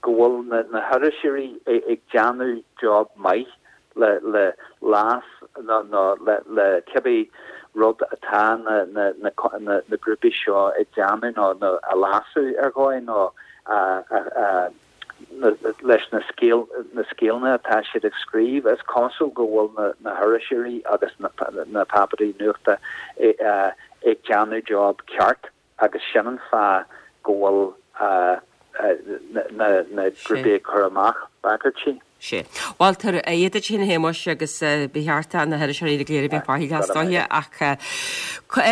go bhfuil na hiriseoirí ag déanamh job maith le le leas nó nó le le cibé rud atá na na na na na grúpaí seo ag déanamh nó nó a leasú ar dhóigh nó a a a leis na scéal na scéalna atá siad ag scríobh. Is cosúil go bhfuil na na hiriseoirí agus na na páipéirí nuachta ag déanamh job ceart. agus sin an fáth go bhfuil na grúpaí ag cur amach bagairtí. Sea. Bhuel, tabhair aghaidh duit féin a Shéamais agus ba cheart do na hiriseoirí go léir a bheith faichilleach is dóiche ach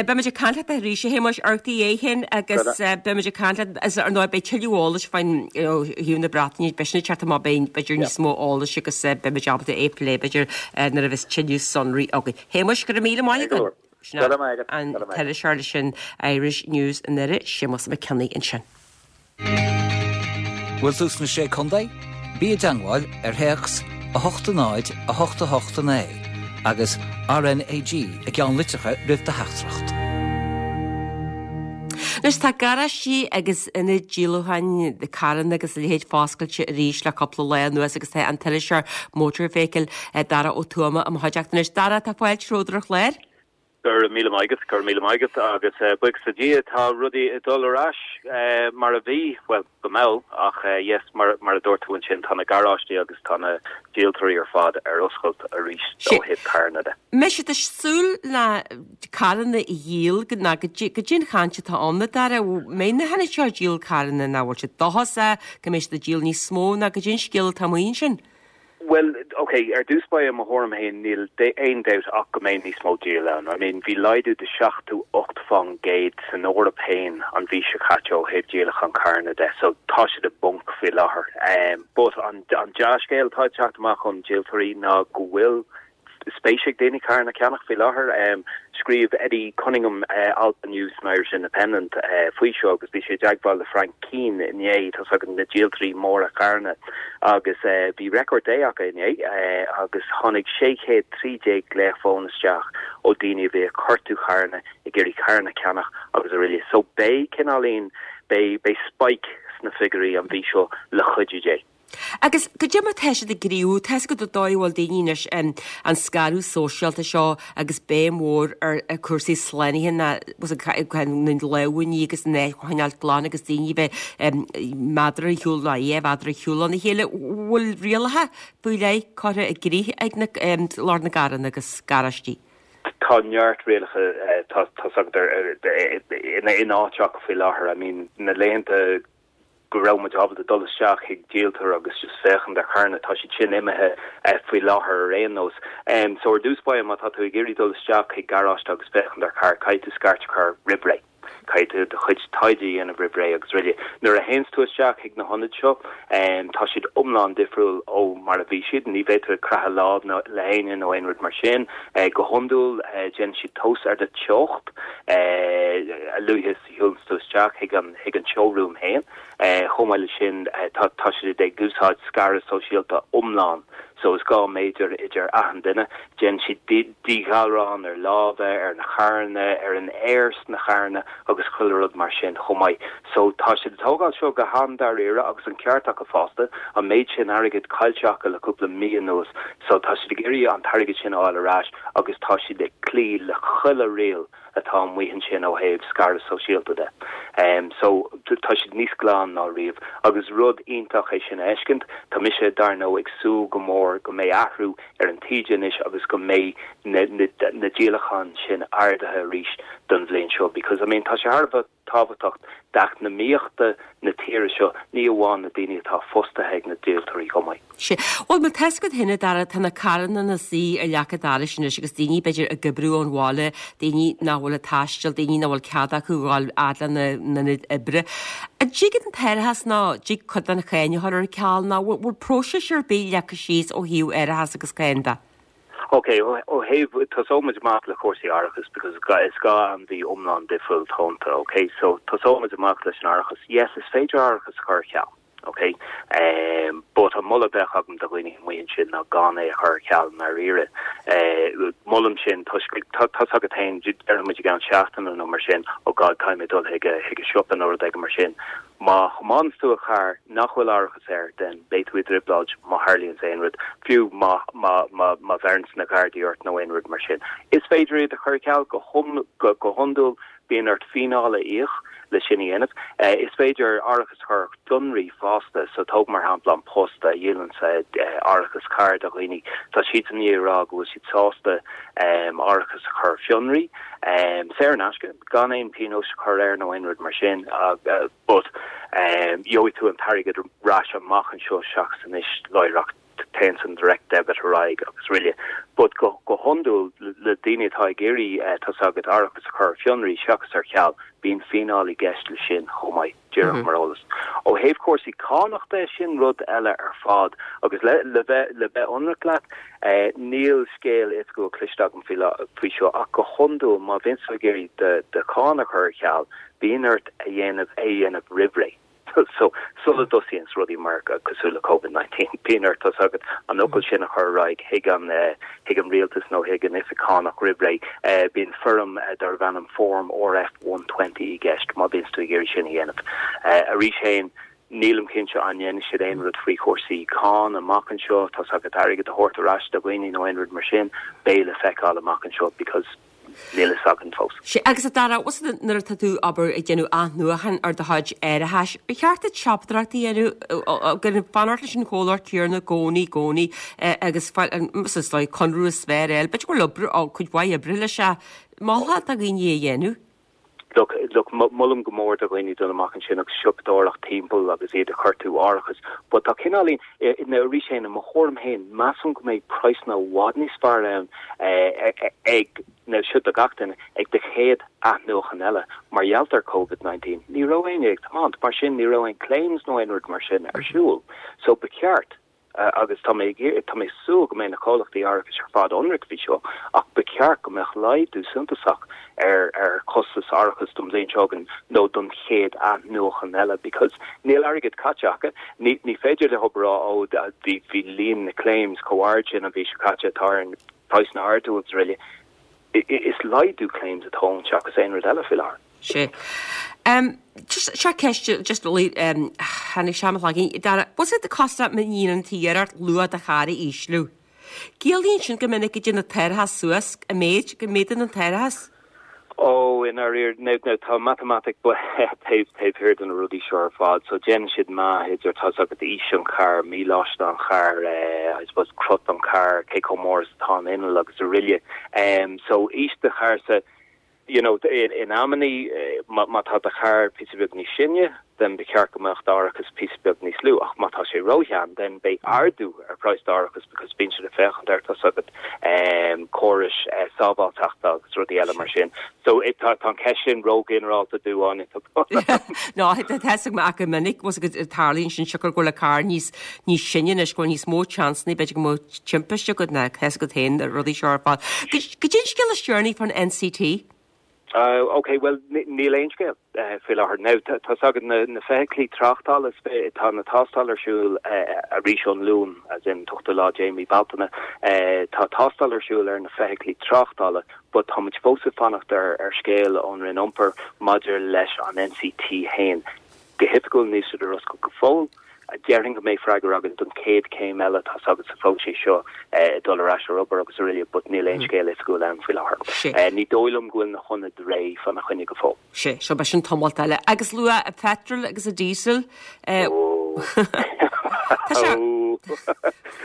beimid ag caint leat arís a Shéamais, amharc do dhiaidh féin agus beimid ag caint leat is ar ndóigh beidh tuilleadh eolais faoin thaobh na Breataine, beidh sin ag teacht amach beidh b'fhéidir níos mó eolais agus beimid ábalta é a phlé b'fhéidir nuair a bheas tuilleadh sonraí againn. Shéamais, go raibh míle maith agat. Sin an t-iriseoir leis an Irish News i nDoire, Séamus Mac Cionnaith ansin. Bhfuil tú sna Sé Contae? Bí i dteangmháil ar théacs 8 0 8 8 9 agus RnaG i gceannlitreacha roimh do theachtaireacht. Anois tá garáistí agus ionaid díolúcháin carranna agus a leithéid foscailte arís le cúpla lá anuas agus tá an t-iriseoir mótarbheithicil Dara Ó Tuama i mo chuideachta anois. Dara, tá fáilte romhat ar an chlár. Go raibh míle maith agat, go raibh míle maith agat agus buíochas le Dia tá rudaí ag dul ar ais mar a bhí, bhuel, go mall ach yes, mar a dúirt tú ansin tá na garáistí agus tá na díoltóirí ar fad ar oscailt arís ó thaobh carranna de. Mbeidh siad ag súil le carranna a dhíol nó goidé an chaint atá ann a Dara, mbeidh na hionaid seo ag díol carranna nó bhfuil siad dóchasach go mbeidh siad ag díol níos mó nó goidé an scéal atá amuigh ansin? Bhuel, ok, ar dtús báire, i mo thuairim féin, níl aon dabht ach go mbeidh níos mó díol ann. I mean, bhí laghdú de 78% san Eoraip féin an mhí seo caite ó thaobh díolachán carranna de, so tá siad i bponc faoi láthair. But an dea-scéal atá ag teacht amach ón díoltóirí ná go bhfuil spéis ag daoine carranna a cheannach faoi láthair. Scríobh Eddie Cunningham alt inniu san Irish Independent faoi seo agus bhí sé i dteagmháil le Frank Keane inné, tá's agat na díoltóirí móra carranna, agus bhí record day acu inné agus tháinig 613 glaoch fóin isteach ó daoine a bhí ag cuartú carranna, ag iarraidh carranna a cheannach agus araile. So beidh cineáilín, beidh, beidh spike sna figiúirí an mhí seo le cuidiú Dé. Agus goidé mar tá siad ag gníomhú, tá's agat an dóigh a bhfuil daoine anois, an scaradh sóisialta seo agus béim mhór ar cúrsaí slánaithe na lámha a ní agus an áit a choinneáilt glan agus daoine a bheith méadar ar shiúl nó dhá mhéadar ar shiúl óna chéile. Bhfuil rialacha faoi leith curtha i gcrích ag na lucht na gcarranna agus garáistí? Tá neart rialacha tá's agat in áit acu faoi láthair. I mean na laethanta go raibh muid ábalta dul isteach chuig díoltóir agus just féachaint ar charranna, tá siad sin imithe faoi láthair ar aon nós. So ar dtús báire má tá tú ag iarraidh dul isteach chuig garáiste agus féachaint ar charr, caithfidh tú scairt a chur roimh ré. Caithfidh tú do chuid taighde a dhéanamh roimh ré agus araile. Nuair a théanns tú isteach chuig na hionaid seo, tá siad iomlán difriúil ó mar a bhí siad. Ní bheidh tú ag croitheadh lámh le héinne nó aon rud mar sin. Go hiondúil, déanann siad tomhas ar do teocht a luaithe is a shiúlanns tú isteach chuig an chuig an showroom féin. Chomh maith leis sin, tá tá siad ag úsáid scaradh sóisialta iomlán, so is 2 méadar idir achan duine. Déanann siad díghalrán ar lámha, ar na carranna, ar an aer sna carranna agus chuile rud mar sin chomh maith. So tá siad ag tógáil seo go han-dáiríre agus an ceart acu fosta, an méid sin airgid caillte acu le cúpla mí anuas, so tá siad ag iarraidh an t-airgead sin a fháil ar ais agus tá siad ag cloí le chuile riail atá amuigh ansin ó thaobh scaradh sóisialta de. So tá siad níos glaine ná riamh agus rud iontach é sin a fheiscint. Tá mise, dar ndóigh, ag súil go mór go mbeidh athrú ar an taoide anois agus go mbeidh na na díolacháin sin ardaithe arís don bhliain seo because I mean tá sé thar a bheith tábhachtach d'eacnamaíochta na tíre seo, ní amháin na daoine atá fostaithe ag na díoltóirí chomh maith. Sea. Bhuel, má tá's agat féin, a Dara, tá na carranna ina suí ar leac an dorais anois agus daoine, b'fhéidir, ag oibriú ón bhaile, daoine nach bhfuil ag taisteal, daoine nach bhfuil cead acu a dhul fhad lena n-ionad oibre. An dtig an t-árachas nó an dtig cuid den cháin a chur ar ceal nó bhfuil próiseas ar bith leagtha síos ó thaobh árachas agus cáin de? Ok, ó thaobh, tosóidh muid amach le cúrsaí árachais because is 2 ainmhí iomlán difriúil atá iontu, ok? So tosóidh muid amach leis an árachas. Yes, is féidir árachas a chur ar ceal, ok? But an moladh a bheadh agam do dhaoine amuigh ansin ná gan é a chur ar ceal i ndáiríre. Molaim sin toisc, tá's agat féin, déarfaidh muid i gceann seachtaine nó mar sin, oh God, caithfidh mé dul chuig an siopa nó rud éigin mar sin. Má thiomáineanns tú carr nach bhfuil árachas air then beidh tú i dtrioblóid má tharlaíonns aon rud, fiú má má má má bheireanns na Gardaí ort nó aon rud mar sin. Is féidir iad a chur ar ceal go go go hiondúil bíonn ort fíneáil a íoc le sin a dhéanamh. Is féidir árachas a chur ar fionraí fosta, so tóg mar shampla An Post a dhíolanns árachas cairr do dhaoine, tá siadsan i ndiaidh a rá go bhfuil siad sásta árachas a chur ar fionraí, saor in aisce. gan aon pionós a chur air nó aon rud mar sin but gheobhaidh tú an t-airgead ar ais amach anseo seachas anois láithreach, téann an direct debit ar aghaidh agus araile. But go go hiondúil le daoine atá ag iarraidh tá's agat árachas a chur ar fionraí seachas ar ceal, bíonn fíneáil i gceist le sin chomh maith, díreach mar eolas. Ó thaobh cúrsaí cánach de, sin rud eile ar fad agus le le bheith le bheith ionraic leat, Níl scéal oifigiúil cloiste agam faoi seo ach go hiondúil má bhíonn tú ag iarraidh do cháin a chur ar ceal, bíonn ort a dhéanamh é a dhéanamh roimh ré. So, sula dtosaíonns rudaí mar cosúil le Covid 19, bíonn ort tá's agat an fhocal sin a chur ar aghaidh chuig an chuig an rialtas nó chuig an oifig cánach roimh ré. Bíonn foirm darb ainm Form RF 120 i gceist má bhíonns tú ag iarraidh sin a dhéanamh. Arís féin, Nílim cinnte an ndéanfaidh siad aon rud faoi chúrsaí cáin amach anseo, tá's agat airgead a thabhairt ar ais do dhaoine nó aon rud mar sin, beidh le feiceáil amach anseo because níl fhios againn fós. Sea, agus a Dara, bhfuil fhios agat nuair atá tú, abair, ag déanamh athnuachan ar do chuid árachais, ar cheart duit siopadóireacht a dhéanamh, fanacht leis an chomhlacht céanna i gcónaí, i gcónaí, agus fáil an, is dóigh, conradh is fearr a fháil, b'fhéidir go bhfuil obair, cuid mhaith oibre leis, mholfá do dhaoine é a dhéanamh? Look, look, molaim go mór do dhaoine dul amach ansin agus siopadóireacht timpeall agus iad ag cuartú árachas, but tá cineáilín, now arís féin, i mo thuairim féin, measaim go mbeidh praghsanna i bhfad níos fearr ann ag, now seo do gach duine, ag do chéad athnuachan eile. Mar gheall ar Covid 19, ní raibh éinne ag tiomáint, mar sin ní raibh aon claims nó aon rud mar sin ar siúl. So ba cheart. agus tá mé ag tá mé ag súil go mbeidh na comhlachtaí árachais ar fad ionraic faoi seo, ach ba cheart go mbeadh laghdú suntasach ar ar chostas árachais don bhliain seo chugainn nó don chéad athnuachan eile because níl airgead caite acu. Ní ní féidir leo a rá ó bhí bhí líon na claims chomh ard sin an mhí seo caite tá orainn praghsanna a ardú agus araile. Is laghdú claims atá ann seachas aon rud eile faoi láthair. Sea. Just, seo ceist, just really, tháinig sé i mo chloigeann. Dara, what's it cost má dhéanann tú iarracht luach do charr a ísliú? Ciallaíonn sin go minic go dtéann an t-árachas suas, an méid, go méadaíonn an t-árachas? Ó, i ndáiríre, now, now, tá matamaitic taobh, taobh thiar de na rudaí seo ar fad, so déanann siad meá idir, tá's agat, aois an chairr, míleáiste an chairr, I suppose, crot an chairr, cé chomh mór is atá an inneall agus araile. So, aois do chairr-sa. you know, in amannaí, má tá do charr píosa beag níos sine, then ba cheart go mbeadh d'árachas píosa beag níos lú, ach má tá sé róshean, then beidh ardú ar praghas d'árachas because bíonn siad ag féachaint ar, tá's agat, córais sábháilteachta agus rudaí eile mar sin. So, tá an cheist sin róghinearálta domh, Áine. No, tá fhios agam ach go minic, bhfuil fhios agat, tarlaíonn sin siocair go bhfuil an carr níos, níos sine anois, go bhfuil níos mó seansanna, b'fhéidir go mbeadh timpiste agat ná tá fhios agat féin na rudaí seo ar fad. Goidé an scéal is deireanaí fán NCT? Ok, bhuel, níl aon scéal faoi láthair. Now, tá's agat na, na feithiclí tráchtála, tá na tástáil ar siúl arís ón Luan, as in t-ochtú lá de mí Bealtaine, tá tástáil ar siúl ar na feithiclí tráchtála, but tá muid fós ag fanacht ar ar scéal ón Roinn Iompair maidir leis an NCT fhéin. Go hoifigiúil níl siad ar oscailt go fóill. Déarfainn go mbeidh freagra againn don chéad chéim eile, tá's agat, sa phróiseas seo, ag dul ar ais ar obair agus araile but níl aon scéal oifigiúil ann faoi láthair. Ní dóigh liom go bhfuil na hionaid réidh fána choinne go fóill. Sea, so beidh sin tamalt eile. Agus luach an phetrol agus an diesel. Tá sé.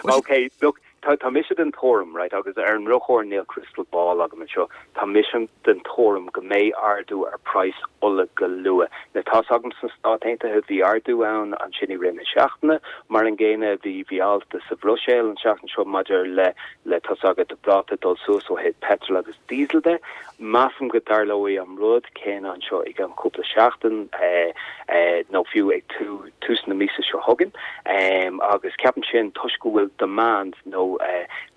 Ok, look, Tá, tá mise den tuairim, right, agus ar an ndrochuair níl crystal ball agam anseo, tá mise den tuairim go mbeidh ardú ar praghas ola go luath. Now tá's agam sna Stáit Aontaithe bhí ardú ann ansin i rith na seachtaine, mar an gcéanna bhí, bhí alt sa Bhruiséil an tseachtain seo maidir le, le tá's agat, ráta dul suas ó thaobh petrol agus diesel de. Measaim go dtarlóidh an rud céanna anseo i gceann cúpla seachtain nó fiú ag tús na míosa seo chugainn agus ceapaim sin toisc go bhfuil demand nó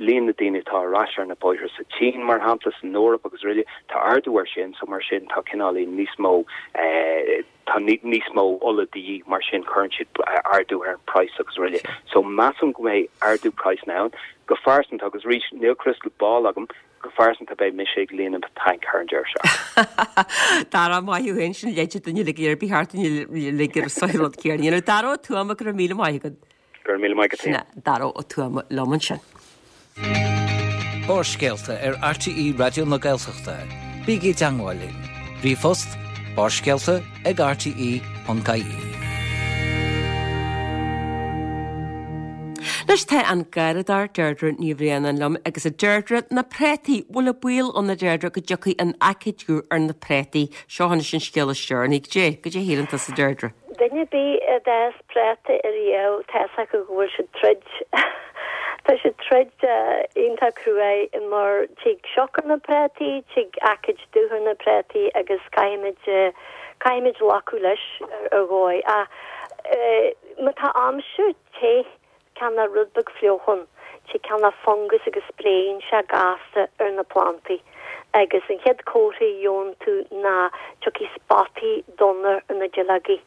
líon na daoine atá ar ais ar na bóithre sa tSín mar shampla, san Eoraip agus araile, tá ardú air sin so mar sin tá cineáilín níos mó tá níos mó ola de dhíth mar sin cuireann siad ardú ar an price agus araile. So measaim go mbeidh ardú praghsanna ann. Go phearsanta agus arís níl crystal ball agam, Go phearsanta beidh mise ag líonadh mo tanc thar an deireadh seachtaine. Dara, maith thú féin, sin leide duine uilig ar bith thart duine uilig ar an rud céanna. You know, Dara Ó Tuama, go raibh míle maith agat. Go raibh míle maith agat Sin é Dara Ó Tuama liom ansin. Barrscéalta ar RTÉ Raidió na Gaeltachta. Bígí i dteangmháil linn. Ríomhphost, barrscéalta ag rte.ie. Anois tá an garradóir Deirdre Ní Bhraonáin liom agus a Deirdre, na préataí, bhfuil an baol ann a Deirdre go dtiocfaidh an aicíd dubh ar na préataí? Seo anois an scéal is deireanaí. Goidé, goidé a shíleann tusa Deirdre? Duine ar bith a d'fhás préata ariamh, tá fhios acu go bhfuil siad troid. Tá siad troid iontach cruaidh mar tig sioc ar na préataí, tig aicíd dubh ar na préataí agus caithfimid, caithfimid glacadh leis ar dhóigh. Ach má tá aimsir te, cineál rud beag fliuch ann, tig cineál fungas agus spréann sé gasta ar na plantaí. Agus an chéad comhartha a gheobhann tú ná tiocfaidh spotaí donna ar na duilleogaí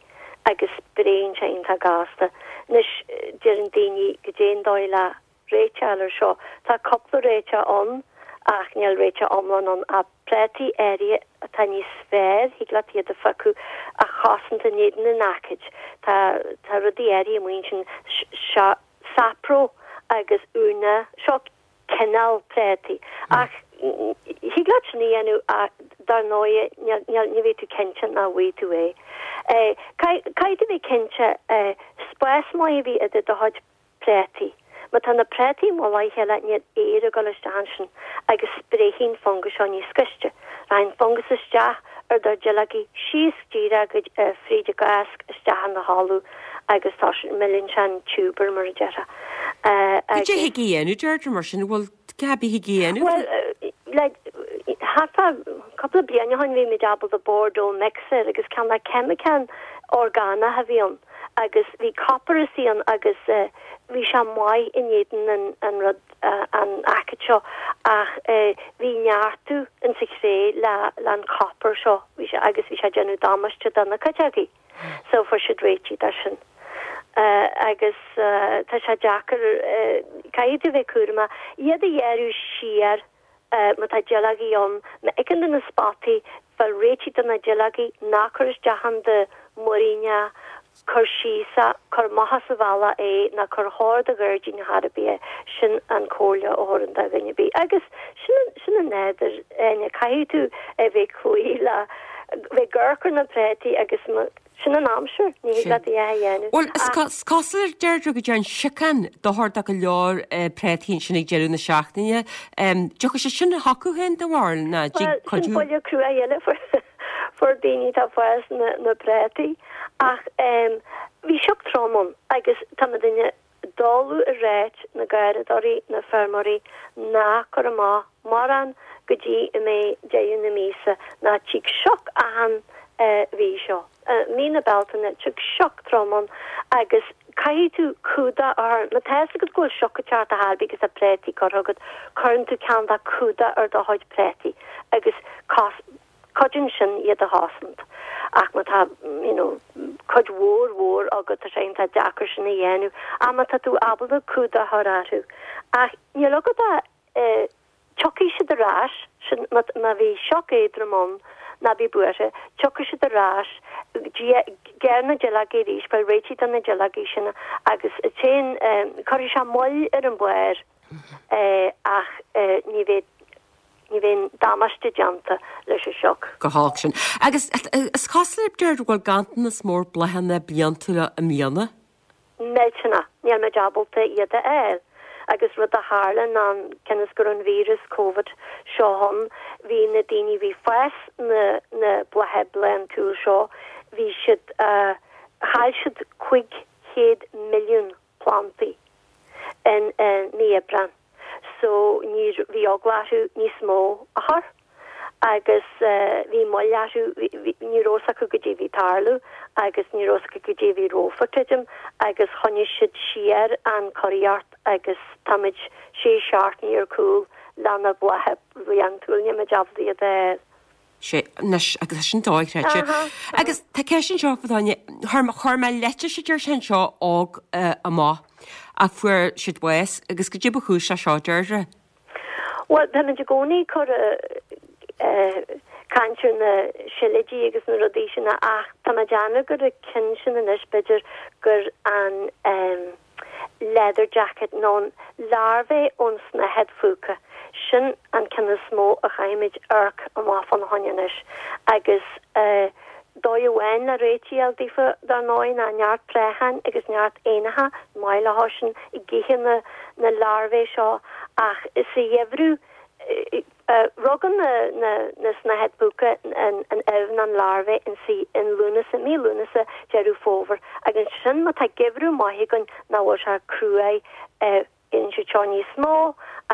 agus spréann sé iontach gasta. Anois, deireann daoine goidé an dóigh le réiteach a fháil ar seo. Tá cúpla réiteach ann ach níl réiteach iomlán ann. Ach prátaí áirithe atá níos fearr, thig leat iad a phiocadh a chosaint in éadan an aicíd. Tá tá rudaí áirithe amuigh ansin, seo Sapro agus Una, seo cineál prátaí. Ach thig leat sin a dhéanamh ach dar ndóighe níl ní bheidh tú cinnte nach bhfaighidh tú é. Caithfidh tú bheith cinnte spás maith a bheith idir do chuid préataí. Má tá na préataí i mullach a chéile níl aer ag dul isteach ansin agus spréifidh an fungas seo níos gaiste. Rachaidh an fungas isteach ar do dhuilleogaí síos díreach go fríd an gcásc isteach ina thalamh agus tá sin, milleann sé an tiúbar mar a déarfá. Cad é thig a dhéanamh Deirdre mar sin, bhfuil cad a thig a dhéanamh? Bhuel, le thart fá cúpla bliain ó shin bhí muid ábalta Bordeaux mix a fháil agus cineál ceimiceán orgánach a bhí ann. agus bhí copar istigh ann agus bhí sé maith in éadan an rud, an aicíd seo ach bhí neartú insa chré le an copar seo, bhí sé, agus bhí sé ag déanamh damáiste do na cuiteogaí. So fuair siad réitigh de sin. Agus tá sé deacair, caithfidh tú bheith cúramach, iad a ghearradh siar, Má tá duilleogaí ann, má fheiceann tú na spotaí, fáil réitigh do na duilleogaí, ná cuir isteach in do mhuirín, cuir síos é, cuir amach as an bhealach é, ná cuir chóir do ghairdín chor ar bith é. Sin an comhairle a thabharfainn do dhuine ar bith. Agus sin, sin an nádúr, Áine. Caithfidh tú a bheith ag cloí le, bheith ag amharc ar na préataí agus má. Sin an aimsir, ní thig leat a dhath a dhéanamh. Bhuel, is cosúil a Deirdre go dtearn siocán dochar do go leor préataí ansin ag deireadh na seachtaine. Dtiocfaidh sé sin chucu féin do bharúil ná dtig cuidiú? Bhuel, sin buille crua eile fuair daoine atá ag fás na bpréataí. Ach bhí sioc trom ann agus tá muidinne dul ag ráit na garraíodóirí, na feirmeoirí ná cur amach mórán go dtí a mbeidh deireadh na míosa ná tig sioc achan mhí seo. Mí na Bealtaine, tig sioc trom ann agus caithfidh tú cumhdach a chur, má tá fhios agat go bhfuil sioc ag teacht ar chor ar bith agus tá préataí curtha agat, cuireann tú ceann de cumhdach ar do chuid préataí agus cos, Cuidíonn sin iad a chosaint. Ach má tá, you know, cuid mhór mhór agat, tá sé iontach deacair sin a dhéanamh. Ach má tá tú ábalta cumhdach a chur orthu. Ach níl agat ach, eh, tiocfaidh siad ar ais, sin, má, má bhí sioc éadrom ann, ná bí buartha, tiocfaidh siad ar ais, gearr na duilleogaí arís, fáil réitithe do na duilleogaí sin agus téann, eh, cuirfidh sé moill ar an bharr, eh, ach, eh, ní bheidh, Ní bheidh damáiste déanta leis an sioc. Go holc sin. Agus is cosúil, Deirdre, go bhfuil ganntanas mór bláthanna bliantúla i mbliana. Millteanach. Níl muid ábalta iad a fháil. Agus rud a tharla ná cionn is go raibh an víreas Covid seo ann, bhí na daoine a bhí ag fás na na blátha bliantúil seo, bhí siad, chaill siad 500 milliún plantaí in mí Aibreán so ní bhí eagla orthu níos mó a chur agus bhí moill orthu, ní raibh fhios acu goidé bhí ag tarlú agus ní raibh fhios acu goidé bhí rompu creidim agus choinnigh siad siar an curaíocht agus táimid sé seachtainí ar cúl le na blátha bliantúil, níl muid ábalta iad a fháil. Sea, anois, agus tá sin dochreidte. Agus tá ceist anseo fá dhuine, chuir mé leitís a deir sé anseo óg amach ach fuair siad bás agus goidé ba chúis leis seo, Deirdre? Bhuel, táimid i gcónaí ag cur caint ar na sileoidí agus na rudaí sin ach tá mé ag déanamh gur an ceann sin anois b'fhéidir gur an leather jacket nó an larvae ón snáthaid phúca, sin an ceann is mó a chaithfimid amharc amach fána choinne anois. Agus dóigh amháin le réitigh a fháil daofa, dar ndóigh, ná neart préacháin agus neart éanacha, maith leo sin ag ithe na na larvae seo ach sa gheimhreadh, Rugann na snáthaid phúca an ubh nó an larvae insa in Lúnasa, mí Lúnasa, Deireadh Fómhair agus ansin má tá geimhreadh maith againn nach bhfuil sé cruaidh bíonn siad seo níos mó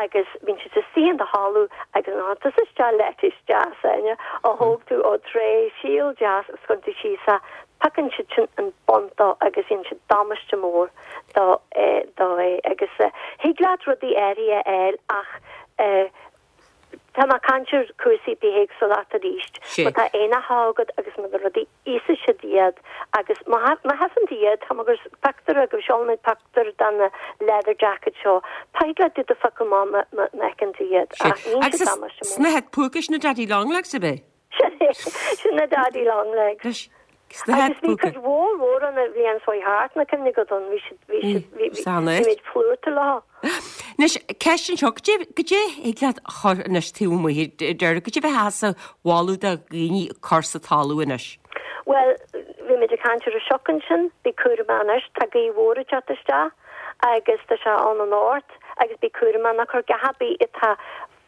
agus bíonn siad istigh in do thalamh agus nuair a chuireann tusa isteach lettuce deas Áine a thóg tú ó tray síl deas agus cuireann tú síos é piocann siad sin an bun dó agus dhéanann siad damáiste mór dó dó é agus thig leat rudaí áirithe a fháil ach Tá mé ag caint ar cúrsaí bithéagsúlachta arís. Má tá éanacha agat agus má tá rudaí íosfaidh siad iad agus má thaifeann tú iad, tá mé ag cur pictiúr agaibh, seolfaidh mé pictiúr de na leather jacket seo, thig leat iad a phiocadh amach má fheiceann tú iad ach ní siad damáiste mór. Snáthaid phúca sin na daddy long legs ab é? Sin é, sin na daddy long legs. Agus bhí cuid mhór mhór ann an bhliain seo thart, an cuimhin agat ann, bhí siad, bhí siad, bhí, bhí muid plúrta leo. Anois, ceist anseo, goidé, goidé thig leat a chur anois taobh amuigh, Deirdre, goidé a bheifeá a mholadh do dhaoine cur sa talamh anois? Bhuel, bhí muid ag caint ar an sioc ansin, bí cúramach anois, tá gaoth mhór ag teacht isteach agus tá sé ann anocht agus bí cúramach ná cuir gach ar bith atá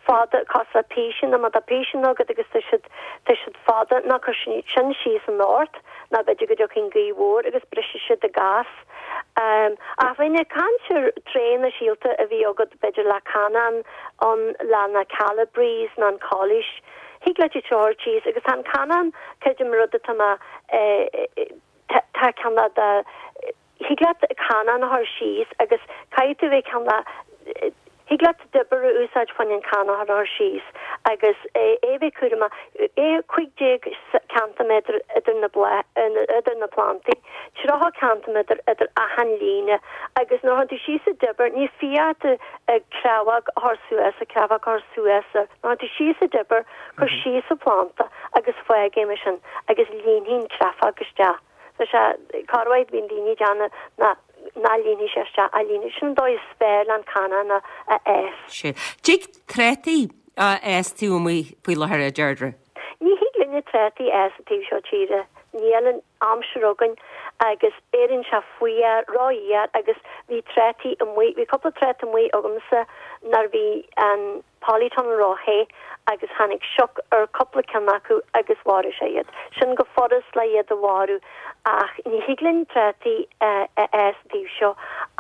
fada, cosúil le píseanna, má tá píseanna agat agus tá siad, tá siad fada, ná cuir sin síos anocht, nó b'fhéidir go dtiocfaidh an ghaoth mhór agus brisfidh siad i gcás. Ach bheinn ag caint ar tréanna síolta a bhí agat, b'fhéidir le canán ann, le na calabrese nó an calaois. Thig leat iad seo a chur síos agus tá an canán, creidim rud atá mé, tá, tá ceann de, Thig leat canán a chur síos agus caithfidh tú bheith ceann le Thig leat dibir a úsáid fá choinne an canán a chur síos agus é a bheith cúramach. É 15 ceintiméadar idir na idir na plantaí, 30 ceintiméadar idir achan líne agus nuair a chuireann tú síos an dibir ní fiú ort creabhóg a chur suas, a creabhóg a chur suas nuair a chuireann tú síos an dibir, cuir síos an planta agus fág é mar sin agus líonfaidh an creafóg isteach. Tá sé, corruair bíonn daoine ag déanamh ná ná líonfaidh sé isteach, a líonfaidh, sin an dóigh is fearr le an canán a a fhás. Sea. Tig trátaí a fhás taobh amuigh faoi láthair, a Deirdre? Ní thig linne trátaí a fhás an taobh seo tíre. Níl an aimsir againn agus éiríonn sé fuar, rófhuar agus bhí trátaí amuigh, bhí cúpla tráta amuigh agamsa nuair bhí an polytunnel ró-the agus tháinig sioc ar cúpla ceann acu agus mharaigh sé iad. Sin go furast le iad a mharú ach ní thig linn trátaí a fhás an taobh seo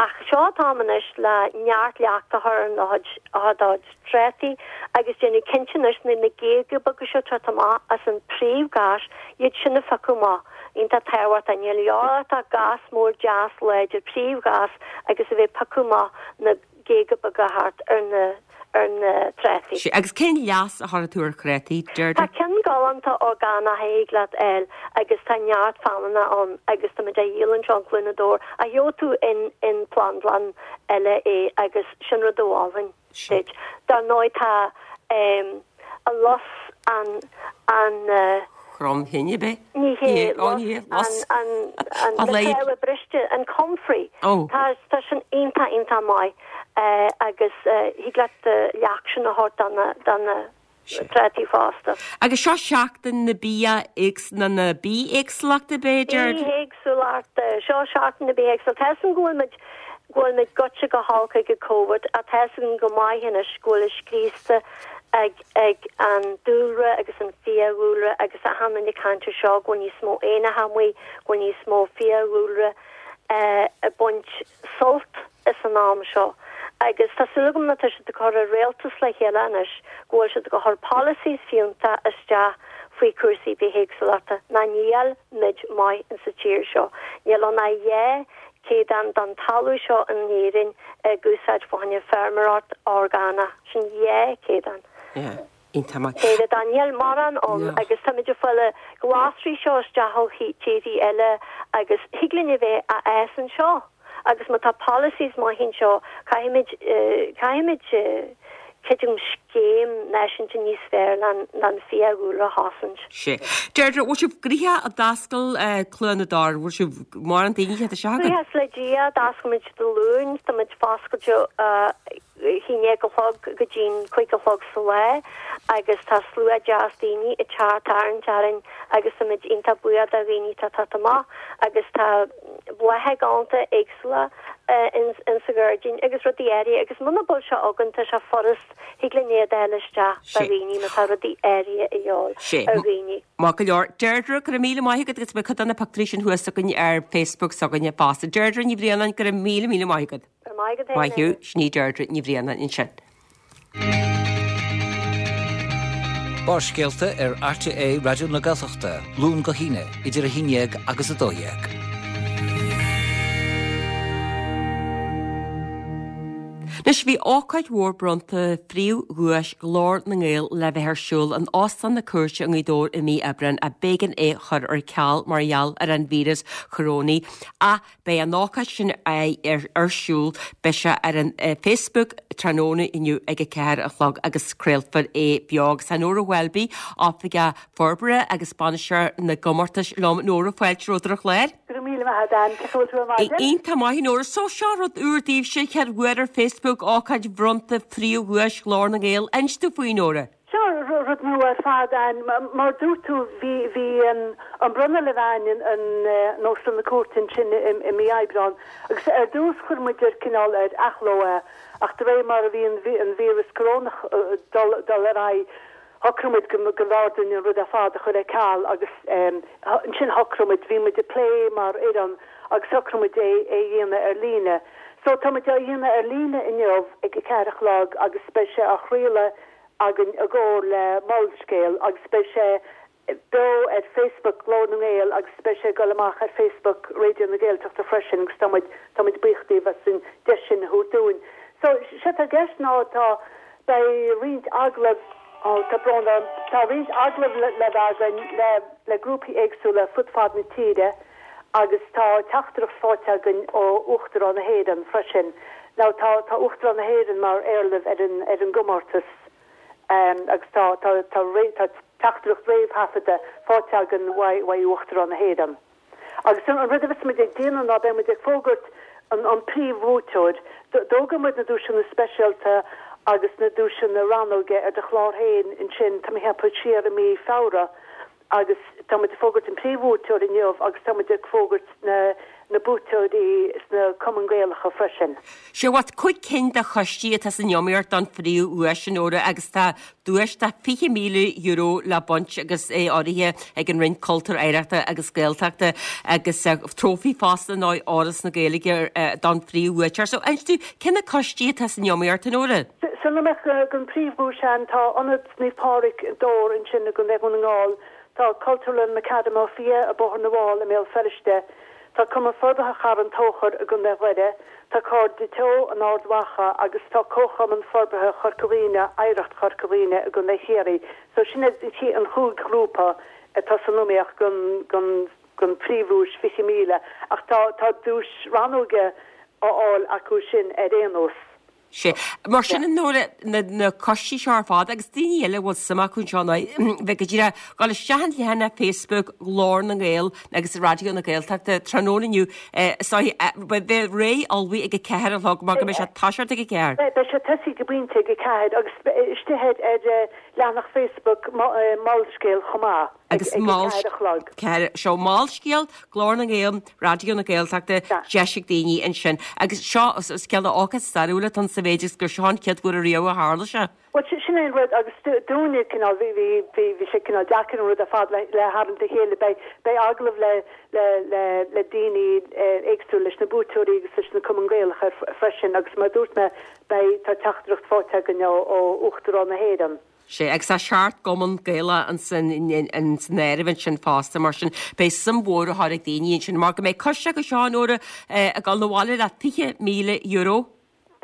ach seo an t-am anois le neart leacht a chur ar do chuid ar do chuid trátaí agus déanamh cinnte anois na na géaga beaga seo teacht amach as an príomhghas iad sin a phiocadh amach. Iontach tábhachtach. Níl a leor ach gas mór deas láidir príomhghas agus a bheith ag piocadh amach na géaga beaga thart ar na ar na trátaí. Sea, agus cén leas a chuirfidh tú ar thrátaí, Deirdre? Tá ceann galánta orgánach a thig leat fháil agus tá neart feamainne ann agus tá muid á dhíol anseo in Cluain na dTor ach gheobhaidh tú in in plandlann eile é agus sin rud a mholfainn duit. Dar ndóigh tá an lus an an Chromthine, ab ea? Ní hé, lus an an na fréamha briste, an comfrey. Tá tá sin iontach iontach maith agus thig leat leacht sin a thabhairt do na do na trátaí fosta. Agus seo seachtain na bia na na bithéagsúlachta b'fhéidir? Bithéagsúlachta, seo seachtain na bithéagsúlachta. Tá 'fhios a'm go bhfuil muid go bhfuil muid goite go holc ag an Covid ach tá 'fhios againn go maith anois go bhfuil scriosta ag ag an dúlra agus an fiadhúlra agus achan duine ag caint ar seo go bhfuil níos mó éanacha amuigh, go bhfuil níos mó fiadhúlra ag baint sult as an am seo. Agus tá súil agam nuair atá siad ag cur an rialtas le chéile anois go bhfuil siad ag cur policies fiúntach isteach faoi cúrsaí bithéagsúlachta ná níl muid maith in sa tír seo. Níl ann ach 2 céadán den talamh seo in Éirinn ag úsáid fá choinne feirmeoireacht orgánach. Sin 2 céadán. Yeah, iontach maith. Céadán. Níl mórán ann agus táimid ag fáil na glasraí seo isteach ó thíorthaí eile agus thig linn a bheith á fhás anseo agus má tá policies maith anseo caithfimid, caithfimid creidim scéim náisiúnta níos fearr len an fiadhúlra a chosaint. Sea. Deirdre, bhfuil sibh gnoitheach ag d'oscail Cluain na dTor? Bhfuil sibh mórán daoine ag teacht isteach agaibh? Buíochas le Dia, d'oscail muid Dé Luain, tá muid foscailte a 11 a chlog go dtí'n 5 a chlog sa lá agus tá slua deas daoine ag teacht tarraingt orainn agus tá muid iontach buíoch do dhaoine atá ag teacht amach agus tá blátha galánta éagsúla in sa ghairdín agus rudaí áirithe agus muna bhfuil sé againn tá sé furast thig linn iad a fháil isteach do dhaoine má tá rudaí áirithe a dhíobháil ar dhaoine. Maith go leor. Deirdre, go raibh míle maith agat agus beidh cuid de na pictiúirí sin thuas againn ar Facebook s'againne fosta. Deirdre Ní Bhraonáin, go raibh míle míle maith agat. Go raibh maith agat féin. Maith thú, sin í Deirdre Ní Bhraonáin ansin. Barrscéalta ar RTÉ Raidió na Gaeltachta, Luan go hAoine, idir 11 agus 12. Anois, bhí ócáid mhór bronnta phríomhdhuais Ghlór na nGael le bheith ar siúl in Óstán na Cúirte i nGaoth Dobhair i mí Aibreáin ach b'éigean é chur ar ceal mar gheall ar an víreas chorónaí. Ach Beidh an ócáid sin ar siúl, beidh sé ar an Facebook tráthnóna inniu ag a 4 a chlog agus craolfar é beo. Agus tá Nóra Welby, Oifigeach Forbartha agus Bainisteoir na gComórtas liom. Nóra, fáilte romhat ar an chlár. Go raibh míle maith agat, Ann. Cén chaoi a bhfuil tú ar maidin? Iontach maith, Nóra. So seo rud úr daoibhse, chéad uair ar Facebook, ócáid bhronnta phríomhdhuais Ghlór na nGael. Inis dúinn faoi, Nóra. Seo rud nua ar fad, Ann. Mar a dúirt tú, bhí, bhí an bronnadh le bheith againn in Óstán na Cúirte ansin i mí Aibreán agus ar dtús chuir muid ar cineál ar athló é ach de réir mar a bhí an víreas corónach dul, dul ar aghaidh, shocraigh muid go, go mb'fhearr dúinn an rud ar fad a chur ar ceal agus ansin shocraigh muid, bhí muid ag plé mar fhoireann agus shocraigh muid é, é a dhéanamh ar líne. So tá muid á dhéanamh ar líne inniu ag a ceathair a chlog agus beidh sé á chraoladh againn i gcomhar le Molscéal agus beidh sé beo ar Facebook Glór na nGael agus beidh sé ag dul amach ar Facebook Raidió na Gaeltachta freisin agus tá muid tá muid buíoch díobh as an deis sin a thabhairt dúinn. So séard atá i gceist ná tá beidh roinnt agallamh oh tá brón orm tá roinnt agallamh le bheith againn le le grúpaí éagsúla fud fad na tíre agus tá teachtaireacht faighte againn ó Uachtarán na hÉireann freisin. Now tá tá Uachtarán na hÉireann mar éarlamh ar an ar an gcomórtas agus tá tá tá tá teachtaireacht réamhthaifeadta faighte againn uaidh uaidh Uachtarán na hÉireann. Agus an rud a bheas muid ag déanamh ná beidh muid ag fógairt an an príomhbhuaiteoir. D'fhógair muid na duaiseanna speisialta agus na duaiseanna rannóige ar do chlár féin ansin, tá mé ag ceapadh, siar i mí Feabhra. Agus tá muid ag fógairt an príomhbhuaiteoir inniu agus tá muid ag fógairt na na buaiteoirí sna Cumainn Gaelacha freisin. Sea, bhuel 5 cinn de choistí atá san iomaíocht don phríomhdhuais, a Nóra, agus tá duais de €20,000 le baint agus é urraithe ag an Roinn Cultúir, Oidhreachta agus Gaeltachta agus trófaí fosta ar ndóigh Fhoras na Gaeilge don phríomhbhuaiteoir. So, inis dúinn, cé na coistí atá san iomaíocht, a Nóra? San iomaíocht don phríomhdhuais, tá Ionad Naomh Pádraig, Dobhar ansin i gContae Dhún na nGall, tá Cultúrlann McAdam Ó Fiaich i Bóthar na bhFál i mBéal Feirste, tá Cumann Forbartha Charn Tóchair i gContae Dhoire, tá Cairde Teo in Ard Mhacha agus tá Comharchumann Forbartha Chorca Dhuibhne, Oidhreacht Chorca Dhuibhne i gContae Chiarraí. So sin iad an chúig ghrúpa atá san iomaíocht don don don phríomhdhuais 20,000 ach tá tá duais rannóige á fháil acu sin ar aon nós. Sea. Mar sin, a Nóra, na coistí seo ar fad agus daoine eile a bhfuil suim acu anseo ná bheith go díreach dul isteach an leathanach Facebook Ghlór na nGael agus Raidió na Gaeltachta tráthnóna inniu is dóigh beidh réidh ullmhaithe ag a ceathair a chlog mar go mbeidh sé ag toiseacht ag a ceathair. Beidh sé tosaithe go pointe ag a ceathair agus istigh ar leathanach Facebook Molscéal chomh maith ag a ceathair a chlog. Seo Molscéal, Glór na nGael, Raidió na Gaeltachta, deis ag daoine ansin. Agus seo, is cineál ócáid stairiúil atá ann sa mhéid is gur seo an chéad uair ariamh a tharla sé. Bhuel, sin é an rud agus dúinne, cineál, bhí, bhí, bhí, bhí sé cineál deacair an rud ar fad le, le tharraingt le chéile. Beidh, beidh agallamh le, le, le, le daoine éagsúla, leis na buaiteoirí agus leis na Cumainn Gaelacha freisin agus mar a dúirt mé, beidh, tá teachtaireacht faighte againn ó, ó Uachtarán na hÉireann. Sea, agus tá seacht gcumann Gaelach ansan san áireamh ansin fosta, mar sin beidh suim mhór á chur ag daoine ansin mar go mbeidh coiste acu seo, a Nóra, ag dul 'na bhaile le €20,000.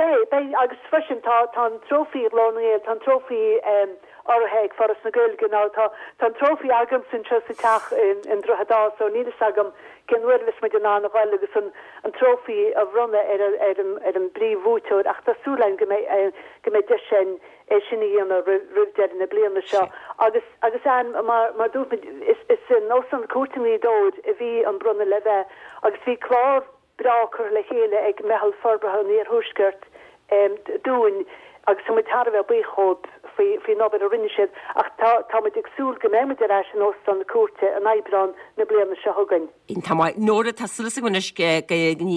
Beidh, beidh, agus freisin tá, tá an trófaí Ghlór na nGael, tá an trófaí urraithe ag Foras na Gaeilge now tá, tá an trófaí agamsa anseo sa teach i nDroichead Átha so níl fhios agam cén uair a bheas muid in ann a ghoil agus an, an trófaí a bhronnadh ar, ar an, ar an bpríomhbhuaiteoir ach tá súil againn go mbeidh, go mbeidh deis againn é sin a dhéanamh roimh deireadh na bliana seo. Agus, agus Ann, mar, mar dúirt muid, is, is in Óstán na Cúirte i nGaoth Dobhair a bhí an bronnadh le bheith agus bhí clár breá curtha le chéile ag Meitheal Forbartha an Iarthuaiscirt dúinn agus tá muid thar a bheith buíoch dhóibh faoi, faoin obair a rinne siad ach tá, tá muid ag súil go mbeidh muid ar ais in Óstán na Cúirte in Aibreán na bliana seo chugainn. Iontach maith. Nóra, tá súil agam anois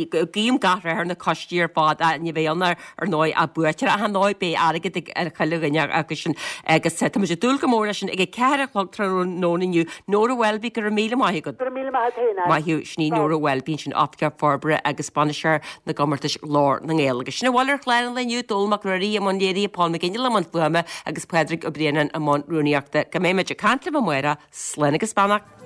go guím gach rath ar na coistí ar fad ní bheidh ann ar ndóigh ach buaiteoir ach ar ndóigh beidh airgead ag ar chuile dhuine acu sin agus tá muid ag dúil go mór leis sin ag a ceathair a chlog tráthnóna inniu. Nóra Welby, go raibh míle maith agat. Go raibh míle maith agat féin, Ann. Maith thú. Sin í Nóra Welby ansin, Oifigeach Forbartha agus Bainisteoir na gComórtas Ghlór na nGael. Agus sin a bhfuil ar chlár an lae inniu, Dónall Mac Ruairí i mbun léirithe, Paul McGinley i mbun fuaime agus Pádraig Ó Braonáin i mbun rúnaíochta. Go mbeidh muid ag caint libh amárach. Slán agus beannacht.